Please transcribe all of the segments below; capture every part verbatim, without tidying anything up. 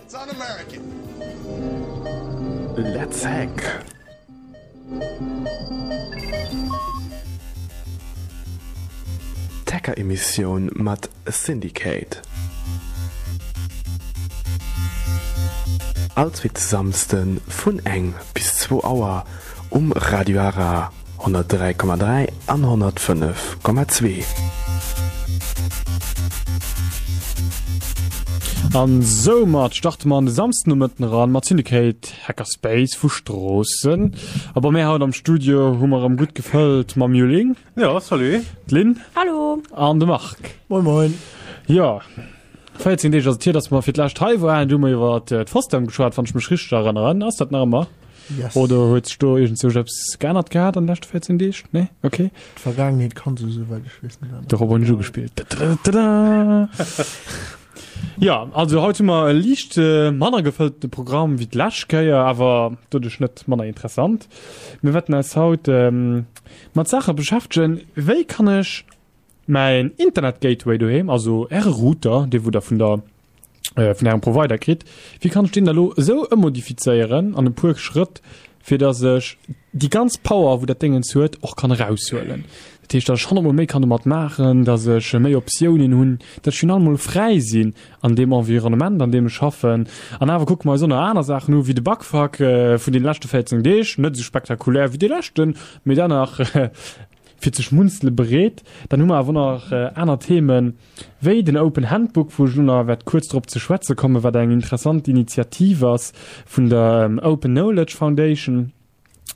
It's un-American. Let's hack! D'Hacker-Emissioun mat Syndicate. All zweete Samsde vun eng bis zwou Auer um Radio Ara honnertdräi Komma dräi an honnertfënnef Komma zwee. An soumat starte mer an de Samsdenomëtten eran mat Syndicate Hackerspace vu Stroossen. A bei mär haut am Studio hu mer erëm gutt gefëllt mam Juling. Jo, salut. D'Lynn. Hallo. An de Marc. Moin moin. Jo, véierzéng Deeg ass et hier, dass mer fir d'lescht hei waren. Du hu mer iwwer d'FOSDEM geschwat, wann ech mech richteg erënneren. Ass dat nach ëmmer? Yes. Oder huet sech do iergendzwousch eppes geännert gehat an de leschte véierzéng Deeg? Nee? Okay. D'Vergaangenheet kann sech, esouwäit ech weess, net änneren. Dorop hunn ech ugespillt. Tadadada. Ja, also haut hu mer e liicht manner gefëllte Programm wéi d'lescht Kéier, awer doduerch net manner interessant. Mir wäerten eis haut mat Saache beschäftegen, wéi kann ech mäin Internet-Gateway doheem, also äre Router, dee wou der vun der vun ärem Provider kritt, wéi kann ech deen da lo esou ëmmodifizéieren an e puer Schrëtt, fir dass ech déi ganz Power, wou dat Déngens huet, och kann eraushuelen. Dat heescht, dass ech honnertmol méi kann domat maachen, dass ech méi Optiounen hunn, dass ech final mol fräi sinn an deem Environnement, an deem ech schaffen. An awer kucke mer eis och nach aner Saachen u wéi de Bugfuck vun deene leschte véierzéng Deeg, net esou spektakulär wéi dee leschten, mee dennach fir ze schmunzele bereet. Dann hu mer awer och nach aner Themen, wéi den Open Handbook, wou ech elo nach wäert kuerz drop ze schwätze kommen, wat eng interessant Initiativ ass vun der Open Knowledge Foundation.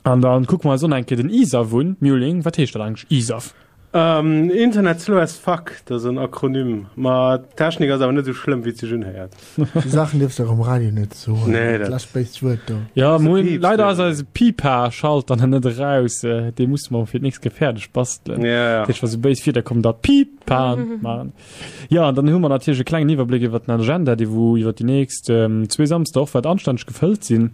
An da kucke mer eis och nach eng Kéier den ISAF un. Muling, wat heescht dat eigentlech, ISAF? Internet slow as fuck, dat ass en Akronym. Ma d'Technik ass awer net esou schlëmm, wéi et sech unhéiert. Sou Saachen dierfs de och um Radio net soen. Nee, dat. Lass béist Wuert do. Ja, moin. Leider ass eise Pipa-Schalter nach net eraus. Dee musse mer fir d'nächst Kéier fäerdeg bastelen. Ja, ja. Dat heescht, wa sou béis Wierder kommen, da Pipa maachen. Ja, an dann hu mer natierlech e klengen Iwwerbléck iwwer den Agenda, dee wou iwwer déi nächst zwee Samsder och wäert anstänneg gefëllt sinn.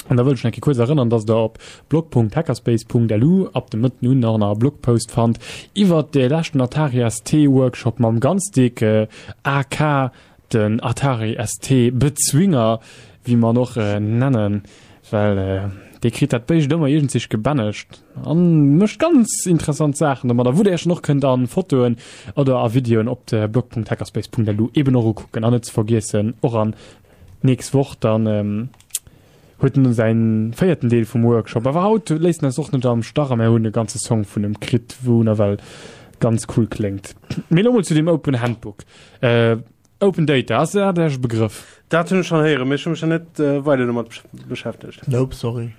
An da wëll ech nach eng Kéier kuerz erënnern, dass Der op blog Punkt hackerspace Punkt L U ab dem Mëtten un nach e Blogpost fannt iwwert de leschten Atari S T Workshop mam ganz déck A K, den Atari S T Bezwinger, wéi mer en och nennen, well dee kritt dat Béischt ëmmer iergendzich gebännegt an mécht ganz interessant Saachen domadder, wou Der Iech dann och kënnt a Fotoen oder a Videoen op de blog Punkt hackerspace Punkt L U eben och ukucken. An net ze vergiessen, och an nächst Woch dann huet en säin véierten Deel vum Workshop. Awer haut léisst en eis och net am Stach a mär hunn e ganze Song vun em kritt, wou nawell ganz cool kléngt. Mee elo mol zu deem Open Handbook. Open Data, ass dat Iech e Begrëff? Dat hunn ech schonn héieren, mee ech hu mech nach net weider domat beschäftegt. Nope, sorry.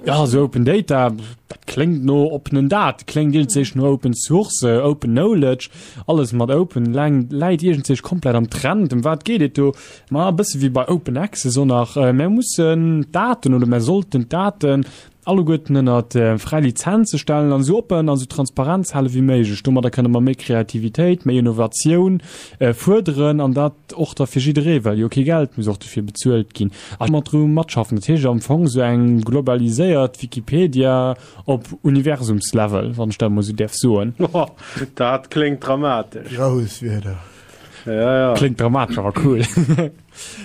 Jo, also Open Data, dat kléngt no oppenen Date, kléngt iergendséich no Open Source, Open Knowledge, alles mat Open läit iergendséich komplett am Trend. Ëm wat geet et do? Ma e bësse wéi bei Open Access och nach, mär mussen d'Daten oder mär sollten d'Daten alleguerten ënnert fräi Lizenze stellen an esou oppen an esou transparent hale wéi méiglech. Domadder kënne mer méi Kreativitéit, méi Innovatioun fuerderen an dat och da fir jidderee, well jo kee Geld muss och dofir bezuelt ginn a mat dru matschaffen. Dat heescht am Fong esou eng globaliséiert Wikipedia op Universumslevel, wann ech dat emol esou däerf soen. Dat kléngt dramatesch. Grouss Wierder. Ja, ja. Kléngt dramatesch, awer cool.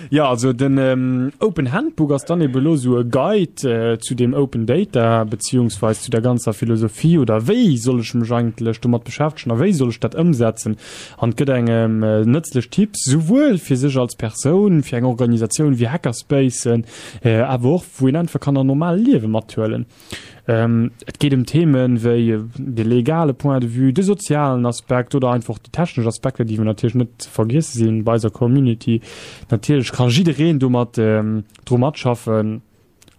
Ja, also den Open Handbook ass dann eben elo sou e Guide zu deem Open Data, beziehungsweis zu der ganzer Philosophie oder wéi soll ech mech eigentlech domat beschäftegen a wéi soll ech dat ëmsetzen. An et gëtt engem nëtzlech Tipps, souwuel fir sech als Persoun, fir eng Organisatioun wéi Hackerspacen, awer och wou een einfach kann an normale Liewe mathuelen. Et geet ëm Themen wéi de legale Point de vue, de sozialen Aspekt oder einfach déi technesch Aspekter, déi natierlech net ze vergiesse sinn bei eiser Community. Natierlech ka jiddereen domat dru matschaffen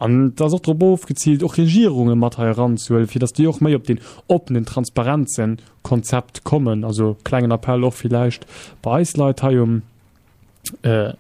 an et ass och drop ofgeziilt, och Regierunge mat hei eranzehuelen, fir datt déi och méi op deen oppenen, transparenzen Konzept kommen. Also klengen Appell och villäicht bei eis Leit hei um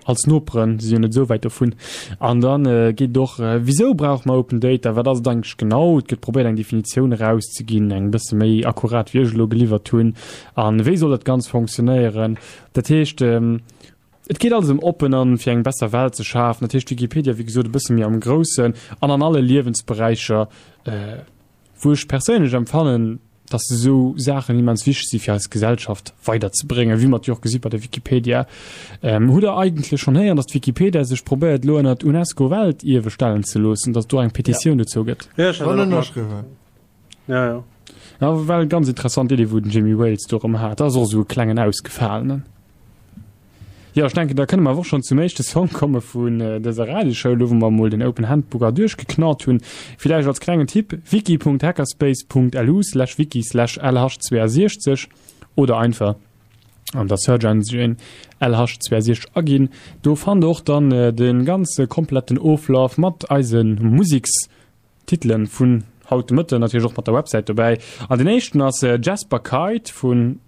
als Noperen, si jo net esou wäit dovun. An da geet et och, Wisou brauche mer Open Data? Wat ass et eigentlech genau? Et gëtt probéiert, eng Definitioun erauszeginn, eng bësse méi akkurat, wéi ech elo geliwwert hunn. A wéi soll dat Ganzt fonctionnéieren? Dat heescht, et geet alles ëm oppen an fir eng besser Welt ze schafen. Dat heescht, Wikipedia, wéi gesot, e bësse méi am Groussen an an alle Liewensberäicher, wou ech perséinlech empfannen, dass esou Saachen immens wichteg si fir eis Gesellschaft weiderzebréngen, wéi mer et jo och gesi bei der Wikipedia. Hutt Der eigentlech schonn héieren, dass d'Wikipedia sech probéiert elo ënnert d'UNESCO-Weltierwe stellen ze loossen, dass et do eng Petitioun dozou gëtt? Jo, ech hat Schonn dat och mat. ënnerschriwwen. Ja, ja. Ja, well ganz interessant Idee wou den Jimmy Wales do erëm hat. Dat ass och esou e klengen Ausgefalenen. Jo, ech denken da kënne mer awer och schonn zum éischte Song komme vun dëser Radioshow, elo wou mer emol den Open Handbook a duerchgeknallt hunn. Villäicht als klengen Tipp, wiki.hackerspace.lu slash wiki slash L H zweiundsechzeg oder einfach an der Search Engine L H zweiundsechzeg aginn. Do fannt der och dann de ganze kompletten Oflaf mat eise Musiks Titelen vun haut de Mëtten, natierlech och mat der Websäit dobäi. An den éischten ass Jasper Kite vun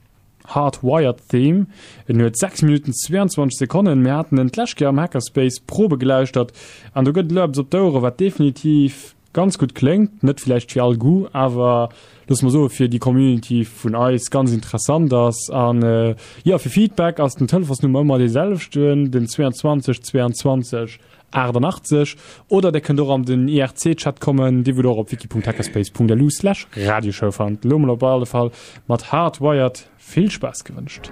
Hard Wired Theme. En huet sechs Minutten zweiundzwanzeg Sekonnen. Mir haten en d'lescht Kéier am Hackerspace Probe gelauschtert an do gëtt elo eppes op d'Ouere wat definitiv ganz gutt kléngt. Net villäicht fir all Goût, awer loosse mer soe fir déi Community vun eis ganz interessant ass. An jo, fir Feedback ass den Telefonsnummer ëmmer dee selwechten, den zweiundzwanzeg zweiundzwanzeg aachtundachtzeg. Oder der kënnt och an den I R C-Chat kommen, dee wou der och op wiki Punkt hackerspace Punkt lu slash radioshow fannt. Elo mol op alle Fall mat Hardwired vill Spaass gewënscht.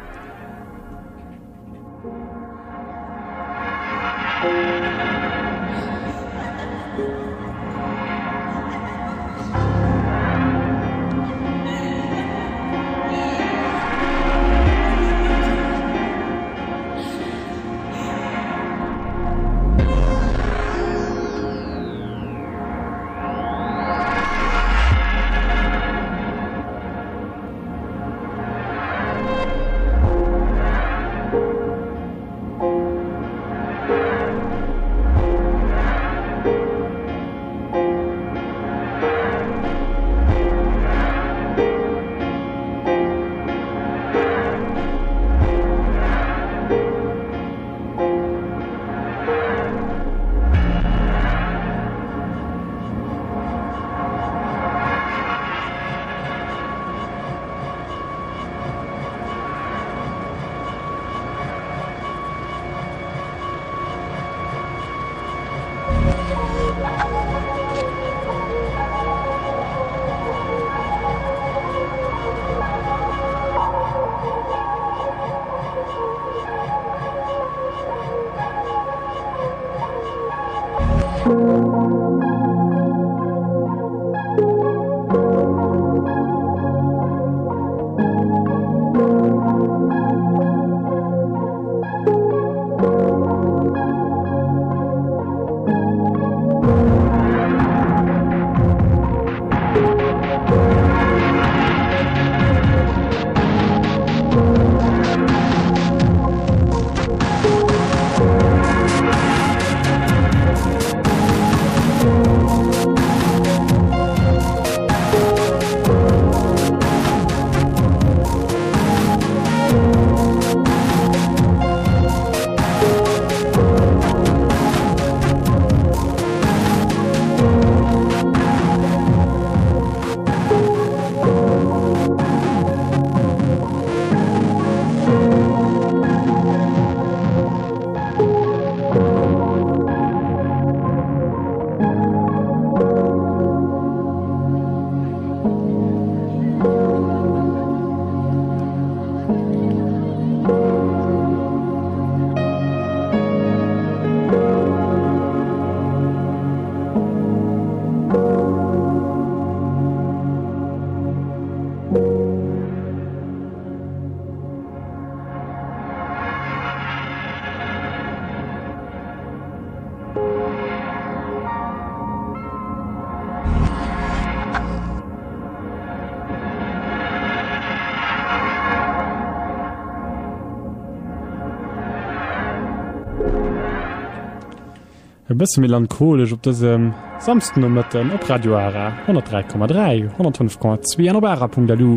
E bësse melancholesch op dësem Samsdenomëtten op Radio Ara honnertdräi Komma dräi, honnertfënnef Komma zwee an op ara Punkt L U.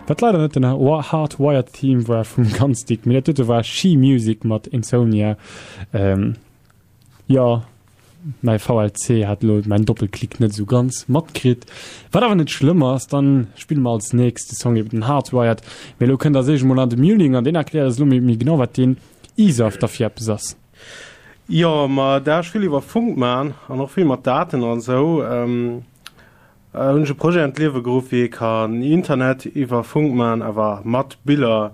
Wat leider net den Hardwired Theme war vum ganz dick, mee dat dote war She Music mat Insomnia. Jo, mäi V L C hat elo mäin Doppelklick net esou ganz matkritt, wat awer net schlëmm ass. Dann spille mer als nächste Song eben den Hardwired. Mee elo kënnt als éischt emol an de Muling an deen erkläert eis elo méi méi genau, wat deen ISAF da fir eppes ass. Jo, ma da ech vill iwwer Funk man an och vill mat Daten an esou. hunn ech e Projet an d'Liewe geruff, wéi ee kann Internet iwwer Funk man, awer mat Biller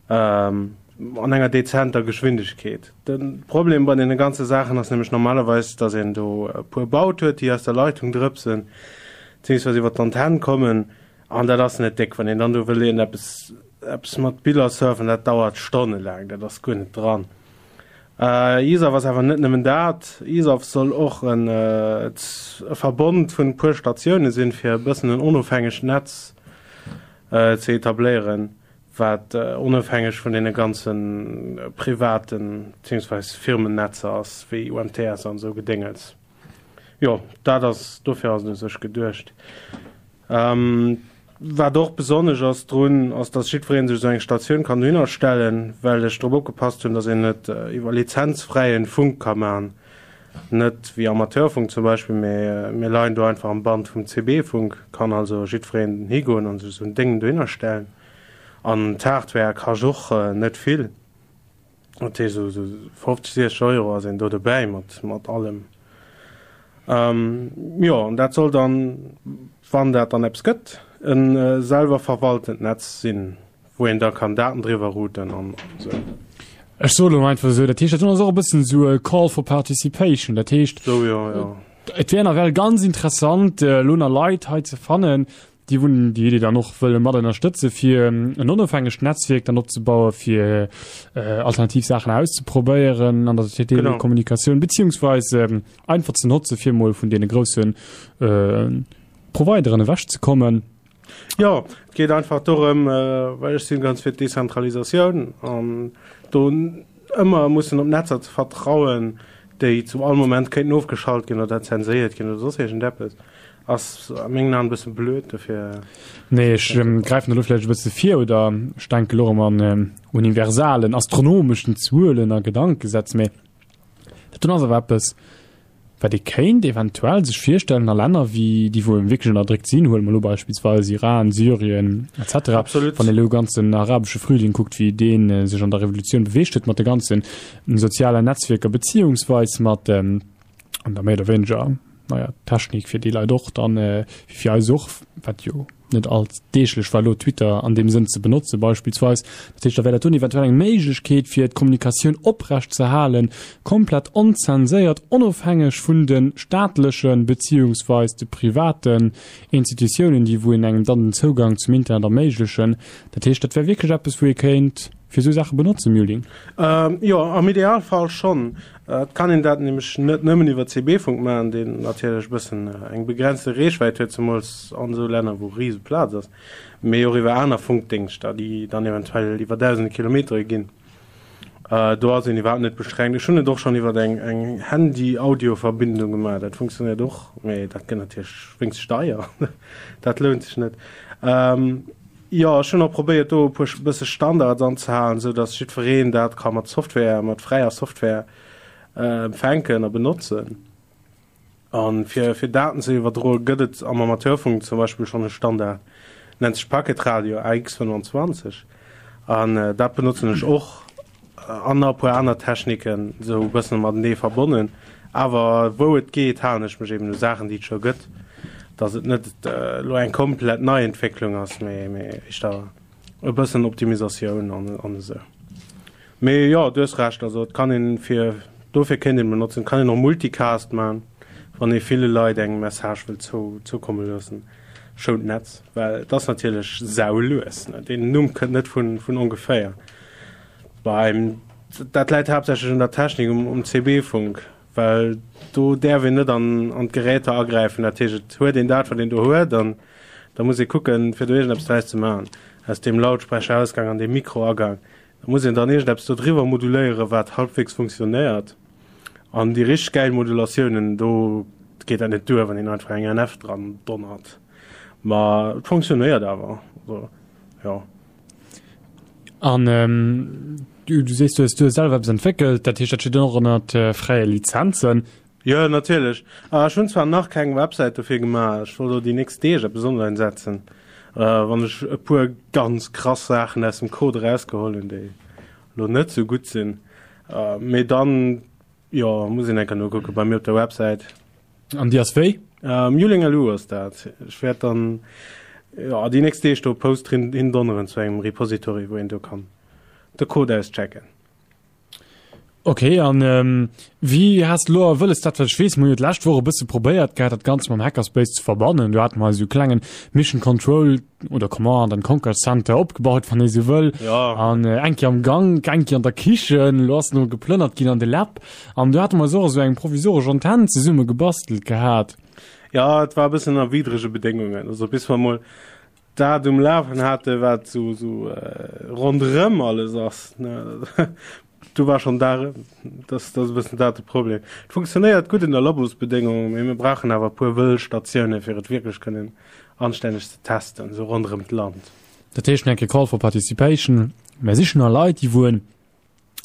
an enger dezenter Geschwindegkeet. De Problem bei deene ganze Saachen ass nämlech normalerweis, dass een do e puer Baut huet, déi aus der Leitung drëpsen, beziehungsweise iwwer d'Antenn kommen, an dat ass net déck. Wann een dann do wëll iergendeppes eppes mat Biller surfen, dat dauert stonnelaang, dat ass guer net dran. ISAF ass awer net nëmmen dat. ISAF soll och en e Verbond vun e puer Statioune sinn, fir e bëssen en onofhängegt Netz ze etabléieren, wat onofhängeg vun deene ganze privaten beziehungsweis Firmennetzer ass, wéi U M T S an esou Gedéngels. Jo, dat ass, dofir ass et u sech geduecht. Wat och besonnesch ass drun, ass dass jiddweree sech esou eng Statioun kann dohinner stellen, well ech drop opgepasst hunn, dass een et iwwer lizenzfräien Funk ka maachen, net wéi Amateurfunk zum Beispill, mee mir leien do einfach am Band vum C B-Funk, kann also jiddwereen higoen an sech esou en Déng dohinner stellen. An d'Hardware kascht och net vill, dat heescht esou fofzeg, siechzeg Euro ass een do dobäi mat mat allem. Jo, an dat soll dann, wann dat dann eppes gëtt, e selwer verwaltent Netz sinn, wou een da kann Daten driwwer routen an esou. Ech soe lo einfach esou, dat heescht, dat ass och e bëssen esou e Call for Participation, dat heescht, So, jo, jo. et wär nawell ganz interessant, elo nach Leit hei ze fannen, déi wunn, déi déi dann och wëlle mat ënnerstëtze fir en onofhängegt Netzwierk dann opzebauen, fir äh, alternativ Saachen auszeprobéieren an der Telekommunikatioun, beziehungsweise ähm, einfach ze notze fir mol vun deene groussen äh, Provideren ewechzekommen. Ja, et geet einfach dorëm, äh, well ech sinn ganz fir d'Dezentralisatioun an do ëmmer mussen op Netzer ze vertrauen, déi zu all Moment kéinten ofgeschalt ginn oder zenséiert ginn oder soss iergendeppes, ass a mengen Aen e bësse blöd dofir. Nee, ech ähm, gräifen elo vläicht e bësse vir oder ech denke lo ëm an ähm, universalen, astronomeschen Zuelen a Gedankesätz, mee dat do ass awer eppes, wat ee kéint eventuell sech virstellen a Länner wéi déi wou wierklech ënnerdréckt sinn, huele mer elo beispillsweis Iran, Syrien et cetera. Absolut. Wann ee elo ganzen arabesche Frühling kuckt, wéi deen äh, sech an der Revolutioun beweegt huet mat de ganzen sozialen Netzwierker beziehungsweis mat ähm, an der méi oder wéineger naja, Technik fir déi Leit och dann äh, wéi fir eis och, wat jo net alldeeglech war, lo Twitter an deem Sënn ze benotze beispillsweis. Dat heescht, da wär dat dunn eventuell eng Méiglechkeet fir d'Kommunikatioun oprecht ze halen, komplett onzenséiert, onofhängeg vun de staatlechen beziehungsweis de privaten Institutiounen, déi wou een engem dann den Zougang zum Internet erméiglechen. Dat heescht, dat wär wierklech eppes, wou ee kéint fir esou Saache benotzen, Muling? Ähm, jo, am Idealfall schonn. Et kann een dat nämlech net nëmmen iwwer C B-Funk maachen, deen natierlech e bëssen eng begrenzte Reechwäit huet, zemools an esou Länner, wou rise Plaz ass, mee och iwwer aner Funkdéngschter, déi dann eventuell iwwer dausende Kilometere ginn. Do ass een iwwerhaapt net beschränkt. Ech hunn et och schonn iwwer eng, eng Handy-Audio-Verbindung gemaach, dat funktionéiert och, mee dat gëtt natierlech wéinst deier, dat lount sech net. Jo, ech hunn och probéiert, do e puer bësse Standards anzehalen, esou datt jiddwereen dat ka mat Software, mat fräier Software empfänken a benotzen. An fir, fir Daten ze iwwerdroen, gëtt et am Amateurfunk zum Beispill schonn e Standard, nennt sech Packet Radio A X fënnwanzwanzeg. An dat benotzen ech och an nach e puer aner Techniken, esou e bëssen matenee verbonnen. Awer wou et geet, halen ech mech eben u Saachen, déi et scho gëtt, datt et net elo eng komplett Neientwécklung ass, mee, mee éischter e bëssen Optimisatioun an, an esou. Mee jo, du hues Recht, also et kann een fir, dofir kéint een benotzen, kann een och Multicast man, wann ee ville Leit eng Message wëll zou, zoukomme loossen, schount d'Netz, well et ass natierlech saulues, ne? Deen Numm kënnt net vun, vun ongeféier. Beim, dat läit haaptsächlech un der Technik, um, um C B-Funk, well do däerf een net an, an d'Geräter agräifen, dat heescht, et huet een dat, wat een do huet, an da muss ee kucken, fir do iergendeppes draus ze maachen, aus deem Lautsprecherausgang an deem Mikroagang. Da muss een dann iergendeppes do driwwer moduléieren, wat halbwegs funktionéiert. An déi richteg gäil Modulatiounen, do geet dat net duer, wann een einfach eng N F dran donnert. Ma et funktionéiert awer. Also, ja. An, ähm, du, du sees, du hues, du hues selwer eppes entwéckelt, dat heescht, dat steet och ënnert, äh, fräie Lizenzen. Jo, natierlech. Ah, ech hunn zwar nach keng Websäit dofir gemaach, ech wollt elo déi nächst Deeg eppes online setzen, äh, wann ech e puer ganz krass Saachen aus dem Code erausgeholl hunn, déi elo net sou gutt sinn. Äh, mee dann, jo, muss een eng Kéier nokucken bei mir op der Websäit. An déi ass wéi? Muling.lu ass dat. Ech wäert dann, jo, déi nächst Deeg do e Post hindonneren zu engem Repository, wou een do kann de Code auschecken. Ok, an wéi has de elo wëlles dat, well ech weess, mir hunn jo d'lescht Woch e bësse probéiert gehat, dat Ganzt mam Hackerspace ze verbannen. Do hate mer eis esou e klengen Mission Control oder Command and Conquer Center opgebaut, wann ee sou wëll. Ja. An eng Kéier am Gank, eng Kéier an der Kichen, elo ass en elo geplënnert ginn an de Lab. An do hate mer eis och esou eng provisoresch Antenn zesumme gebastelt gehat. Ja, et war e bëssen ënner widdrege Bedéngungen. Also bis mer emol dat um Lafen hate wat sou sou ronderëm alles ass, ne, do war schonn da, dat ass e bëssen dat de Problem. Et funktionéiert gutt ënner Labosbedéngungen, mee mir brauchen awer e puer wëll Statioune fir et wierklech kënnen anstänneg ze testen, sou ronderëm d'Land. Dat heescht, eng Kéier Call for Participation, Mär sichen no Leit, déi wou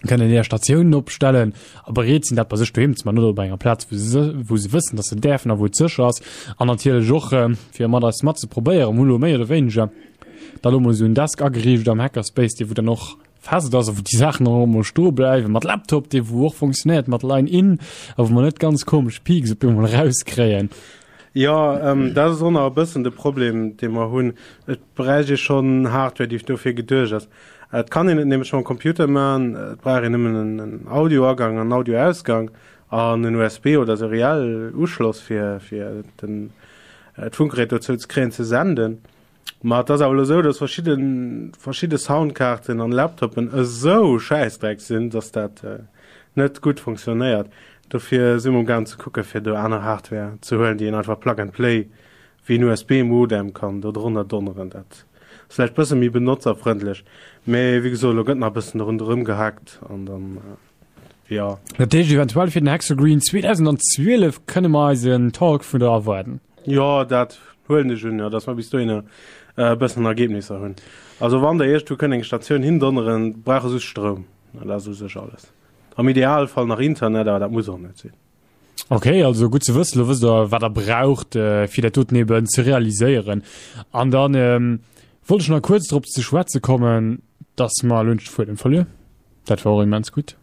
kënnen hir Statiounen opstellen a bereet sinn, dat bei sech doheem ze man oder op enger Plaz, wou se, wou se wëssen, dass se däerfen a wou et sécher ass. An natierlech och, fir mat eis mat ze probéieren. Mir hu lo méi oder wéineger da lo mol esou en Desk ageriicht am Hackerspace, dee wou dann och fest ass a wou déi Saachen och emol stoe bleiwen, mat Laptop, dee wou och funktionéiert mat Line-In a wou mer net ganz komesch Peaks op eemol erauskréien. Jo, dat ass och nach e bëssen de Problem, dee mer hunn. Et bräicht ee schonn Hardware, déi dofir geduecht ass. Et kann een et nämlech mam Computer man, et brauch een nëmmen en Audioagang an Audioausgang an en U S B oder seriell Uschloss fir fir den d'Funkgerät dozou ze kréien ze senden. Ma et ass awer elo esou, dass verschidde verschidde Soundkaarten an Laptopen esou schäissdreck sinn, dass dat net gutt funktionéiert. Dofir si mer amgaang ze kucke fir do aner Hardware ze huelen, déi een einfach plug and play wéi en U S B Modem kann do drënner donneren. Dat ass vläicht bësse méi benotzerfrëndlech, mee wéi gesot, elo gëtt nach e bëssen ronderëm gehackt an dann, jo. Dat heescht, eventuell fir den Hexagreen zweedausendzwielef kënne mer eis en Talk vun der erwaarden? Jo, dat huelen ech un, jo, dass mer bis dohinner e bëssen Ergebnisser hunn. Also wann der iergendwou kënnt eng Statioun hindonneren, brauch e just Stroum, dat ass u sech alles. Am Idealfall nach Internet, awer dat muss och net sinn. Ok, also gutt ze wëssen, lo wësst der wat der braucht fir dat doten eben ze realiséieren. An dann ähm, wollt ech nach kuerz drop ze schwätze kommen, dass mer elo net de Fuedem verluer. Dat war och immens gutt.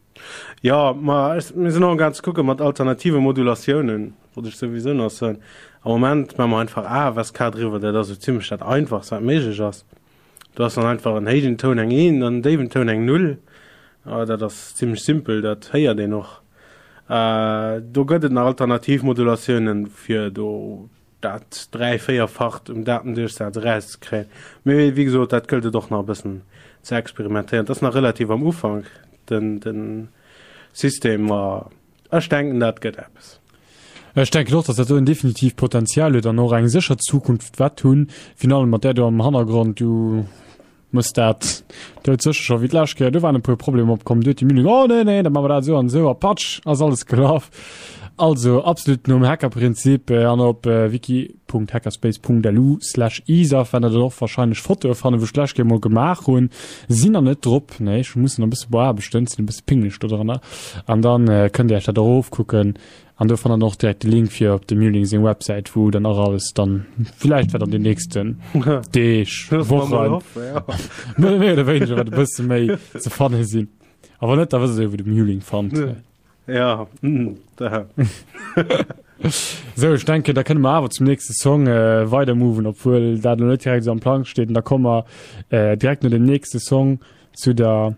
Jo, ma ech, mir sinn och amgaang ze kucke mat alternative Modulatiounen, wollt ech souwisou nach soen. Am Moment maache mer einfach A F S K driwwer, dat ass esou zimmlech dat Einfachst wat méiglech ass. Do ass dann einfach en héijen Toun eng Eent an en déiwen Toun eng Null. Dat ass zimmlech simpel, dat héiert een och. Do gëtt et nach alternativ Modulatiounen, fir do dat dräi-, véierfacht um Datenduerchsaz erauszekréien. Mee wéi gesot, dat gëllt et och nach e bëssen ze experimentéieren. Et ass nach relativ am Ufank, den, den System, ma ech denken, dat gëtt eppes. Ech denken och, dass dat doen definitiv Potenzial huet an och eng sécher Zukunft wäert hunn, virun allem mat där do am Hannergrond. Du Muss dat dout sécher scho wéi d'lescht Kéier, do waren e puer Problemer opkomm, du huet déi Mühlen, oh nee, nee, da maache mer dat esou an esou a patsch ass alles gelaf. Also absolut nom Hackerprinzip an op wiki.hackerspace.lu slash isaf wäert der dann och wahrscheinlech Fotoe fannen, wou ech d'lescht Kéier mol gemaach hunn. Sinn nach net drop, nee, ech muss nach e bësse beaarbechten, sinn e bësse pingelech do dranner an dann kënnt dir iech dat erofkucken. An do fannt der och direkt de Link fir op dem Muling seng Websäit, wou dann och alles dann villäicht wat an den nächsten Deeg, Wochen, méi oder wéineger wat e bësse méi ze fanne sinn. A wann net, da wësst der jo, wou de Muling fannt. Ja, da. Sou, ech denken, da kënne mer awer zum nächste Song äh, weider moven, obwuel dat elo net direkt esou am Plang steet. An da komme mer äh, direkt no dem nächste Song zu der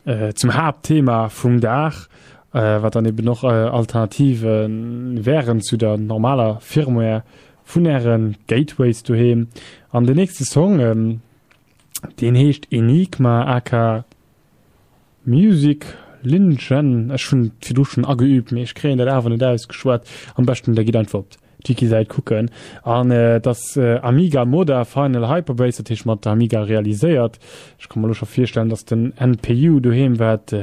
äh, zum Haaptthema vum Dag, äh, wat dann eben och äh, Alternative wären zu der normaler Firmware vun ären Gateways doheem. An den nächste Song, ähm, deen heescht Enigma aka Music Lingen. Ech hunn et virdru schonn ageübt, mee ech kréien dat awer net ausgeschwat. Am beschten der gitt einfach op d'Wiki-Säit kucken. An et ass Amiga Moda Final Hyperbase, dat heescht mat der Amiga realiséiert. Ech ka mer elo scho virstellen, dass den N P U doheem wäert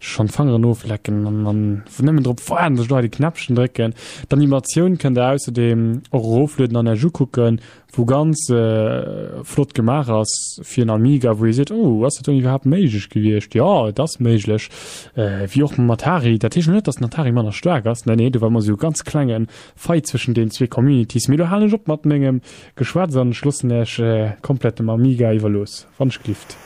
schonn d'Fangeren oflecken an an nëmmen drop waarden, dass ech do hei de Knäppchen drécken. D'Animatioun kënnt der ausserdeem och eroflueden an Iech ukucken, wou ganz flott gemaach ass fir en Amiga, wou ee seet, oh, ass dat dann iwwerhaapt méiglech gewiescht? Jo, et ass méiglech, wéi och mam Atari. Dat heescht elo net, dass den Atari manner staark ass, nee, nee, do war ëmmer esou e ganz klenge Fight zwëschen den zwee Communities. Mee elo halen ech op mat mengem Geschwätz an ech loossen Iech komplett dem Amiga iwwerlooss, wann ech glift.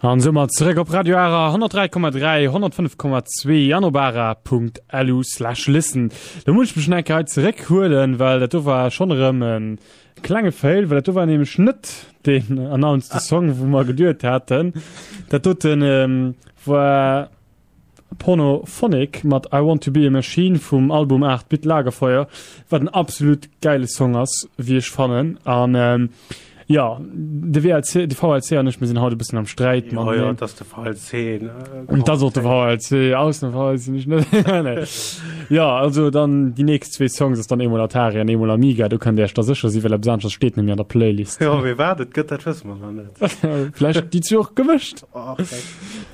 An soumat zeréck op Radio Ara honnertdräi Komma dräi, honnertfënnef Komma zwee an op ara Punkt lu slash listen. Do muss ech mech nach eng Kéier hei zeréckhuelen, well dat do war schonn erëm e klenge Fail, well dat do war nämlech net deen announced Song, wou mer geduet haten. Dat doten war Pornophonic mat I Want To Be A Machine vum Album aacht Bit Lagerfeuer, wat en absolut gäile Song ass, wéi ech fannen. An jo, de W L C, de V L C an ech, mir sinn haut e bëssen am Sträit. Jo, jo, et ass de V L C. Et ass och de V L C, ausnahmsweis sinn ech net. Nee. Jo, also dann déi nächst zwee Songs ass dann eemol Atari an eemol Amiga, do kënnt Dir Iech da sécher sinn, well eppes aneschters steet net méi an der Playlist. Jo, mee wat et gëtt, dat wësse mer nach net. Vläicht déi zwee och gemëscht. Och,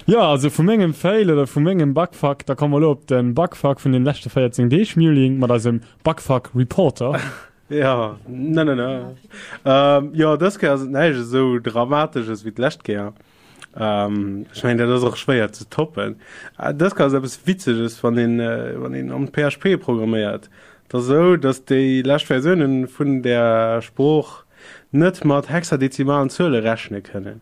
Jo, also vu mengem Fail oder vu mengem Bugfuck, da komme mer elo op de Bugfuck vun den leschte véierzéng Deeg, Muling, mat eisem Bugfuck Reporter. Jo, ne, ne, ne. Ähm, jo, dës Kéier ass et näischt esou Dramatesches wéi d'lescht Kéier. Ähm, ech mengen, dat ass och schwéier ze toppen. Äh, dës Kéier ass eppes Witzeges, wann een, äh, wann een am P H P programméiert. Et ass esou, dass déi lescht Versiounen vun där Sprooch net mat hexadezimalen Zuele rechne kënnen.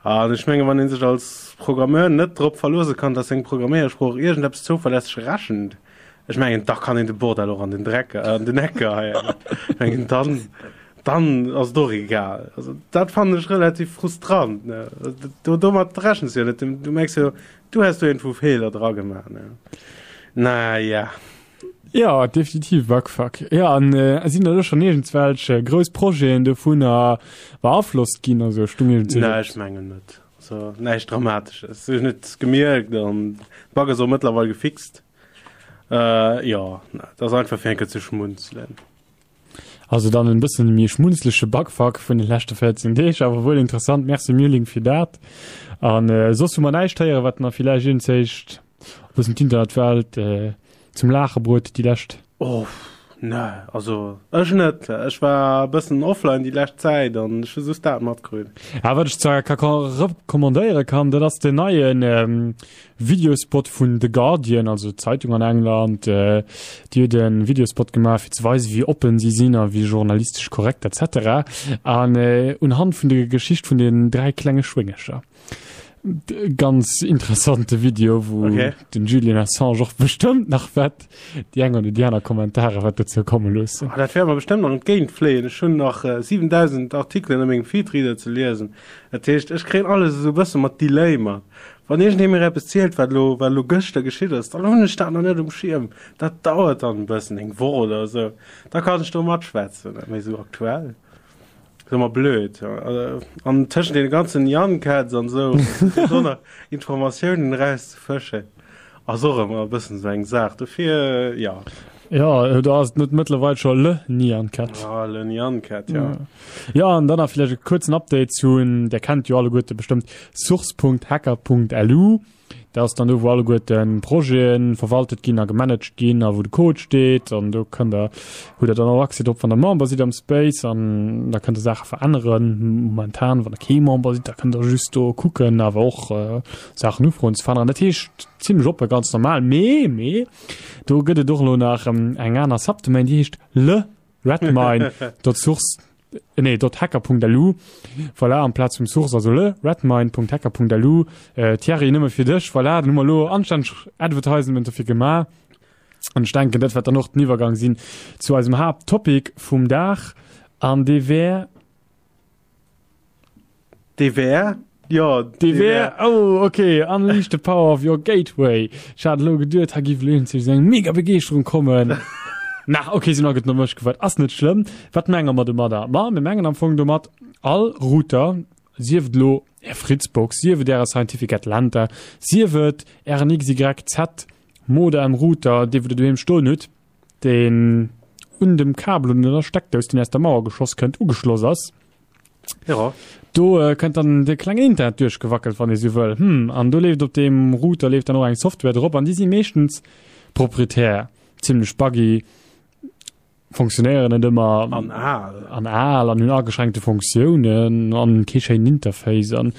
An ech mengen, wann ee sech als Programmeur net drop verloosse kann, dass seng Programméiersprooch iergendeppes zouverlässeg rechent, ech mengen, da kann een de Bordell och an den Dreck, an den Eck geheien. Ech mengen, dann, dann ass et och egal. Also dat fannen ech relativ frustrant, ne. Do, domat rechens du jo net. Du merks jo, du häss do iergendwou Feeler dra gemaach, ne. Naja. Jo, definitiv Bugfuck. Jo, an sinn der elo schonn iergendswelch grouss Projeten dovunner beaflosst ginn? Also stung iergendswou. Nee, ech mengen net. Also näischt Dramatesches. Ech hunn et gemierkt an de Bug ass och mëttlerweil gefixt. Jo, et ass einfach fir eng Kéier ze schmunzelen. Also dann en bëssen méi schmunzleche Bugfuck vun de leschte véierzéng Deeg, awer wuel interessant. Merci Mewling fir dat. An soss hu mer näischt héieren, wat nach villäicht iergendzéischt e bëssen d'Internetwelt zum Laache bruet déi lescht. Oh ne, also ech net. Ech war e bëssen offline déi lescht Zäit an ech hu just dat matkritt. Ah, wat ech zwar ka recommandéiere kann, dat ass den neien Videospot vun The Guardian, also d'Zeitung an England. Déi huet e Videospot gemaach fir ze weisen, wéi oppen si sinn a wéi journalistesch korrekt et cetera. An unhand vun der Geschicht vun den dräi klenge Schwéngercher. Ganz interessante Video, wou okay. den Julian Assange och bestëmmt nach wat déi eng oder déi aner Kommentare wat dozou komme loossen. Ah, dat wäert mer bestëmmt nach entgéint fléien. Ech hunn nach äh, siwendausend Artikelen a mengem Feedreader ze liesen. Dat heescht, ech kréien alles esou e bësse mat Delay mat. Wann iergendee mir eppes zielt, wat elo, wat elo gëschter geschitt ass, dann hunn ech dat nach net um Schierm. Dat dauert dann e bëssen, eng Woch oder esou. Da kann ech do matschwätzen. Mee esou aktuell. Ass ëmmer blöd. An tëschent deene ganzen Nyan Cats an esou do nach Informatiounen erauszefëschen, ass och ëmmer e bëssen esou eng Saach. Dofir, jo. Jo, do ass et net mëttlerweil scho Le Nyan Cat. Ah, Le Nyan Cat, jo. Jo, an dann nach vläicht e kuerzen Update zu, där kennt jo alleguerte bestëmmt source Punkt hacker Punkt L U. Dat ass dann do, wou alleguerten d'Projete verwaltet ginn a gemanagt ginn a wou de Code steet. An do kënnt der, hutt der dann och Accès drop, wann der Member sidd am Space an da kënnt der Saache veränneren. Momentan, wann der kee Member sidd, da kënnt der just do kucken, awer och Saachen ufroen ze veränneren. Dat heescht zimlech oppe, ganz normal. Mee, mee do gëtt et och elo nach eng aner Subdomain, déi heescht le redmine dot source nee, dot hacker Punkt lu. Voilà, amplaz vum Source, also le redmine Punkt hacker Punkt lu. Äh, Thierry, nëmme fir dech, voilà, dann hu mer elo anstänneg Advertisement dofir gemaach. An ech denken, dat wäert dann och den Iwwergang sinn zu eisem Haapttopic vum Dag, an dee wär. Dee wär? Jo, dee wär. Oh, okay, Unleash the Power of Your Gateway. Ech hat elo geduet, hei géif elo iergendwéi esou eng mega Begeeschterung kommen. Na, okay, sinn all gutt no mech gewaart. Ass net schlëmm. Wat menge mer domadder? Ma mir mengen am Fong domat all Router, sief et elo Är Fritzbox, sief et Äre Scientific Atlanta, sief et Ären X Y Z Modem Router, dee wou Der doheem stoen hutt, deen un dem Kabel un der Steckdous, deen aus der Mauer geschoss kënnt, ugeschloss ass. Ja. Do äh, kënnt dann de klengen Internet duerchgewackelt, wann ee sou wëll. Hm, an do leeft op deem Router leeft dann och eng Software drop an déi si meeschtens proprietär, zimmlech buggy, funktionéieren net ëmmer. An al. An al an hunn ageschränkte Funktiounen an kee schéinen Interface an.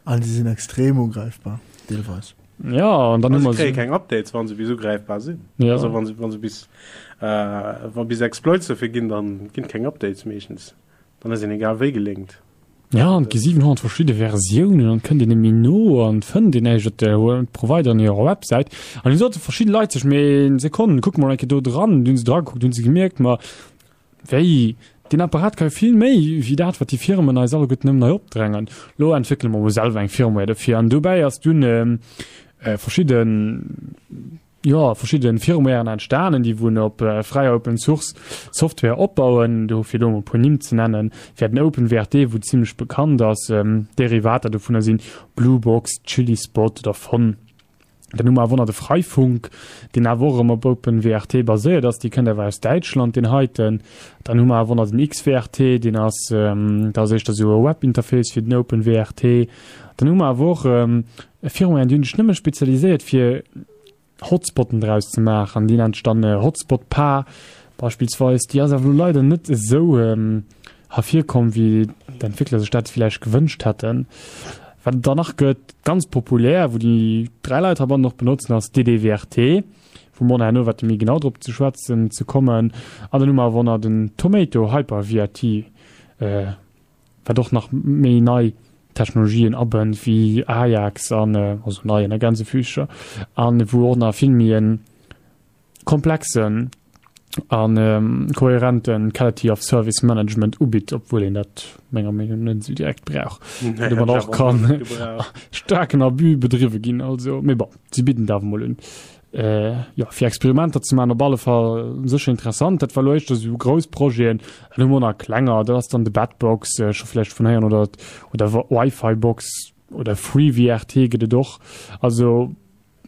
An se sinn extrem ugräifbar, deelweis. Ja, an dann hu mer. Se kréie keng Updates, wa se bis ugräifbar sinn. Ja. Also wa se, wa se bis, äh, wa bis Exploits dofir ginn, dann ginn keng Updates meeschtens. Dann ass een egal wéi gelinkt. Ja, an et gi siwenhonnert verschidde Versiounen an kënnt een net méi no an fënnt een näischt op der Provideren hirer Websäit. An du sote verschidde Leit sech, mee Sekonn, kucke mer eng Kéier do dran. Du hunn se dra gekuckt, hunn se gemierkt, ma wéi, deen Apparat ka jo vill méi wéi dat, wat déi Firmen eis alleguerten nëmmen hei opdrängen. Lo entwéckele mer mol selwer eng Firmware dofir. An dobäi ass dunn verschidden, jo, verschidden Firmwaren entstanen, déi wou op fräier Open Source Software opbauen. Do fir elo mol e puer Nimm ze nennen, wär den OpenWrt, wou zimlech bekannt ass. Derivater dovunner sinn Bluebox, ChilliSpot oder Fon. Dann hu mer awer och nach de Freifunk, deen awer och erëm op OpenWrt baséiert ass. Dee kënnt awer aus Däitschland, deen heiten. Dann hu mer awer och nach den X W R T, deen ass, dat ass éischter esou e Webinterface fir den OpenWrt. Dann hu mer awer och Firmwaren, déi hunn sech nëmme spezialiséiert fir Hotspotten draus ze maachen. Déi nennt sech dann Hotspot Pa beispillsweis. Déi ass awer elo leider net esou ervirkomm, wéi d'Entwéckler sech dat villäicht gewënscht hätten. Wat et dann nach gëtt, ganz populär, wou déi dräi Leit heibannen och benotzen, ass D D W R T, wou mer och nach herno wäerte méi genau drop ze schwätzen ze kommen. An dann hu mer awer och nach den Tomato Hyper V R T, wat och nach méi nei Technologien abënnt wéi Ajax an, also nei ënner Gänsefüßcher, an wou och nach vill méi e komplexen a kohärente Quality of Service Management ubitt, obwuel een dat menger Meenung no net esou direkt brauch. Nee, Domat och kann staarken Abus bedriwwe ginn, also, mee bon, si bidden et awer mol un. Jo, fir Experimenter ze maachen op alle Fall sécher interessant. Dat war elo éischter esou grouss Projeten. Dann hu mer och nach klenger, dat ass dann de Batbox, scho vläicht vun héieren, oder oder Wi-Fi-Box oder FreeWRT gëtt et och. Also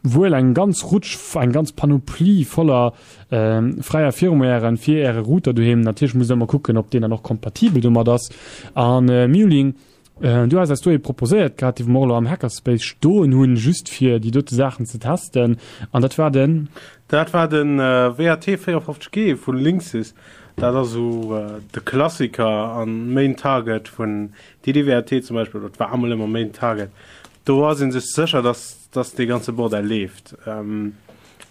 wuel eng ganz Rutsch, eng ganz Panoplie voller fräier Firmwaren fir Äre Router doheem. Natierlech musst Der ëmmer kucken, ob deen dann och kompatibel domat ass. An Mewling, Du has eis do ee proposéiert gehat, dee mer och elo am Hackerspace stoen hunn, just fir déi dote Saachen ze testen. An dat war den? Dat war de W A T véierundfofzeg G vu Linksys. Dat ass esou de Klassiker an Main Target vun D D W R T zum Beispill, oder et war emol ëmmer Main Target. Do ass ee sech sécher, dass, dass dee ganze Bordell leeft.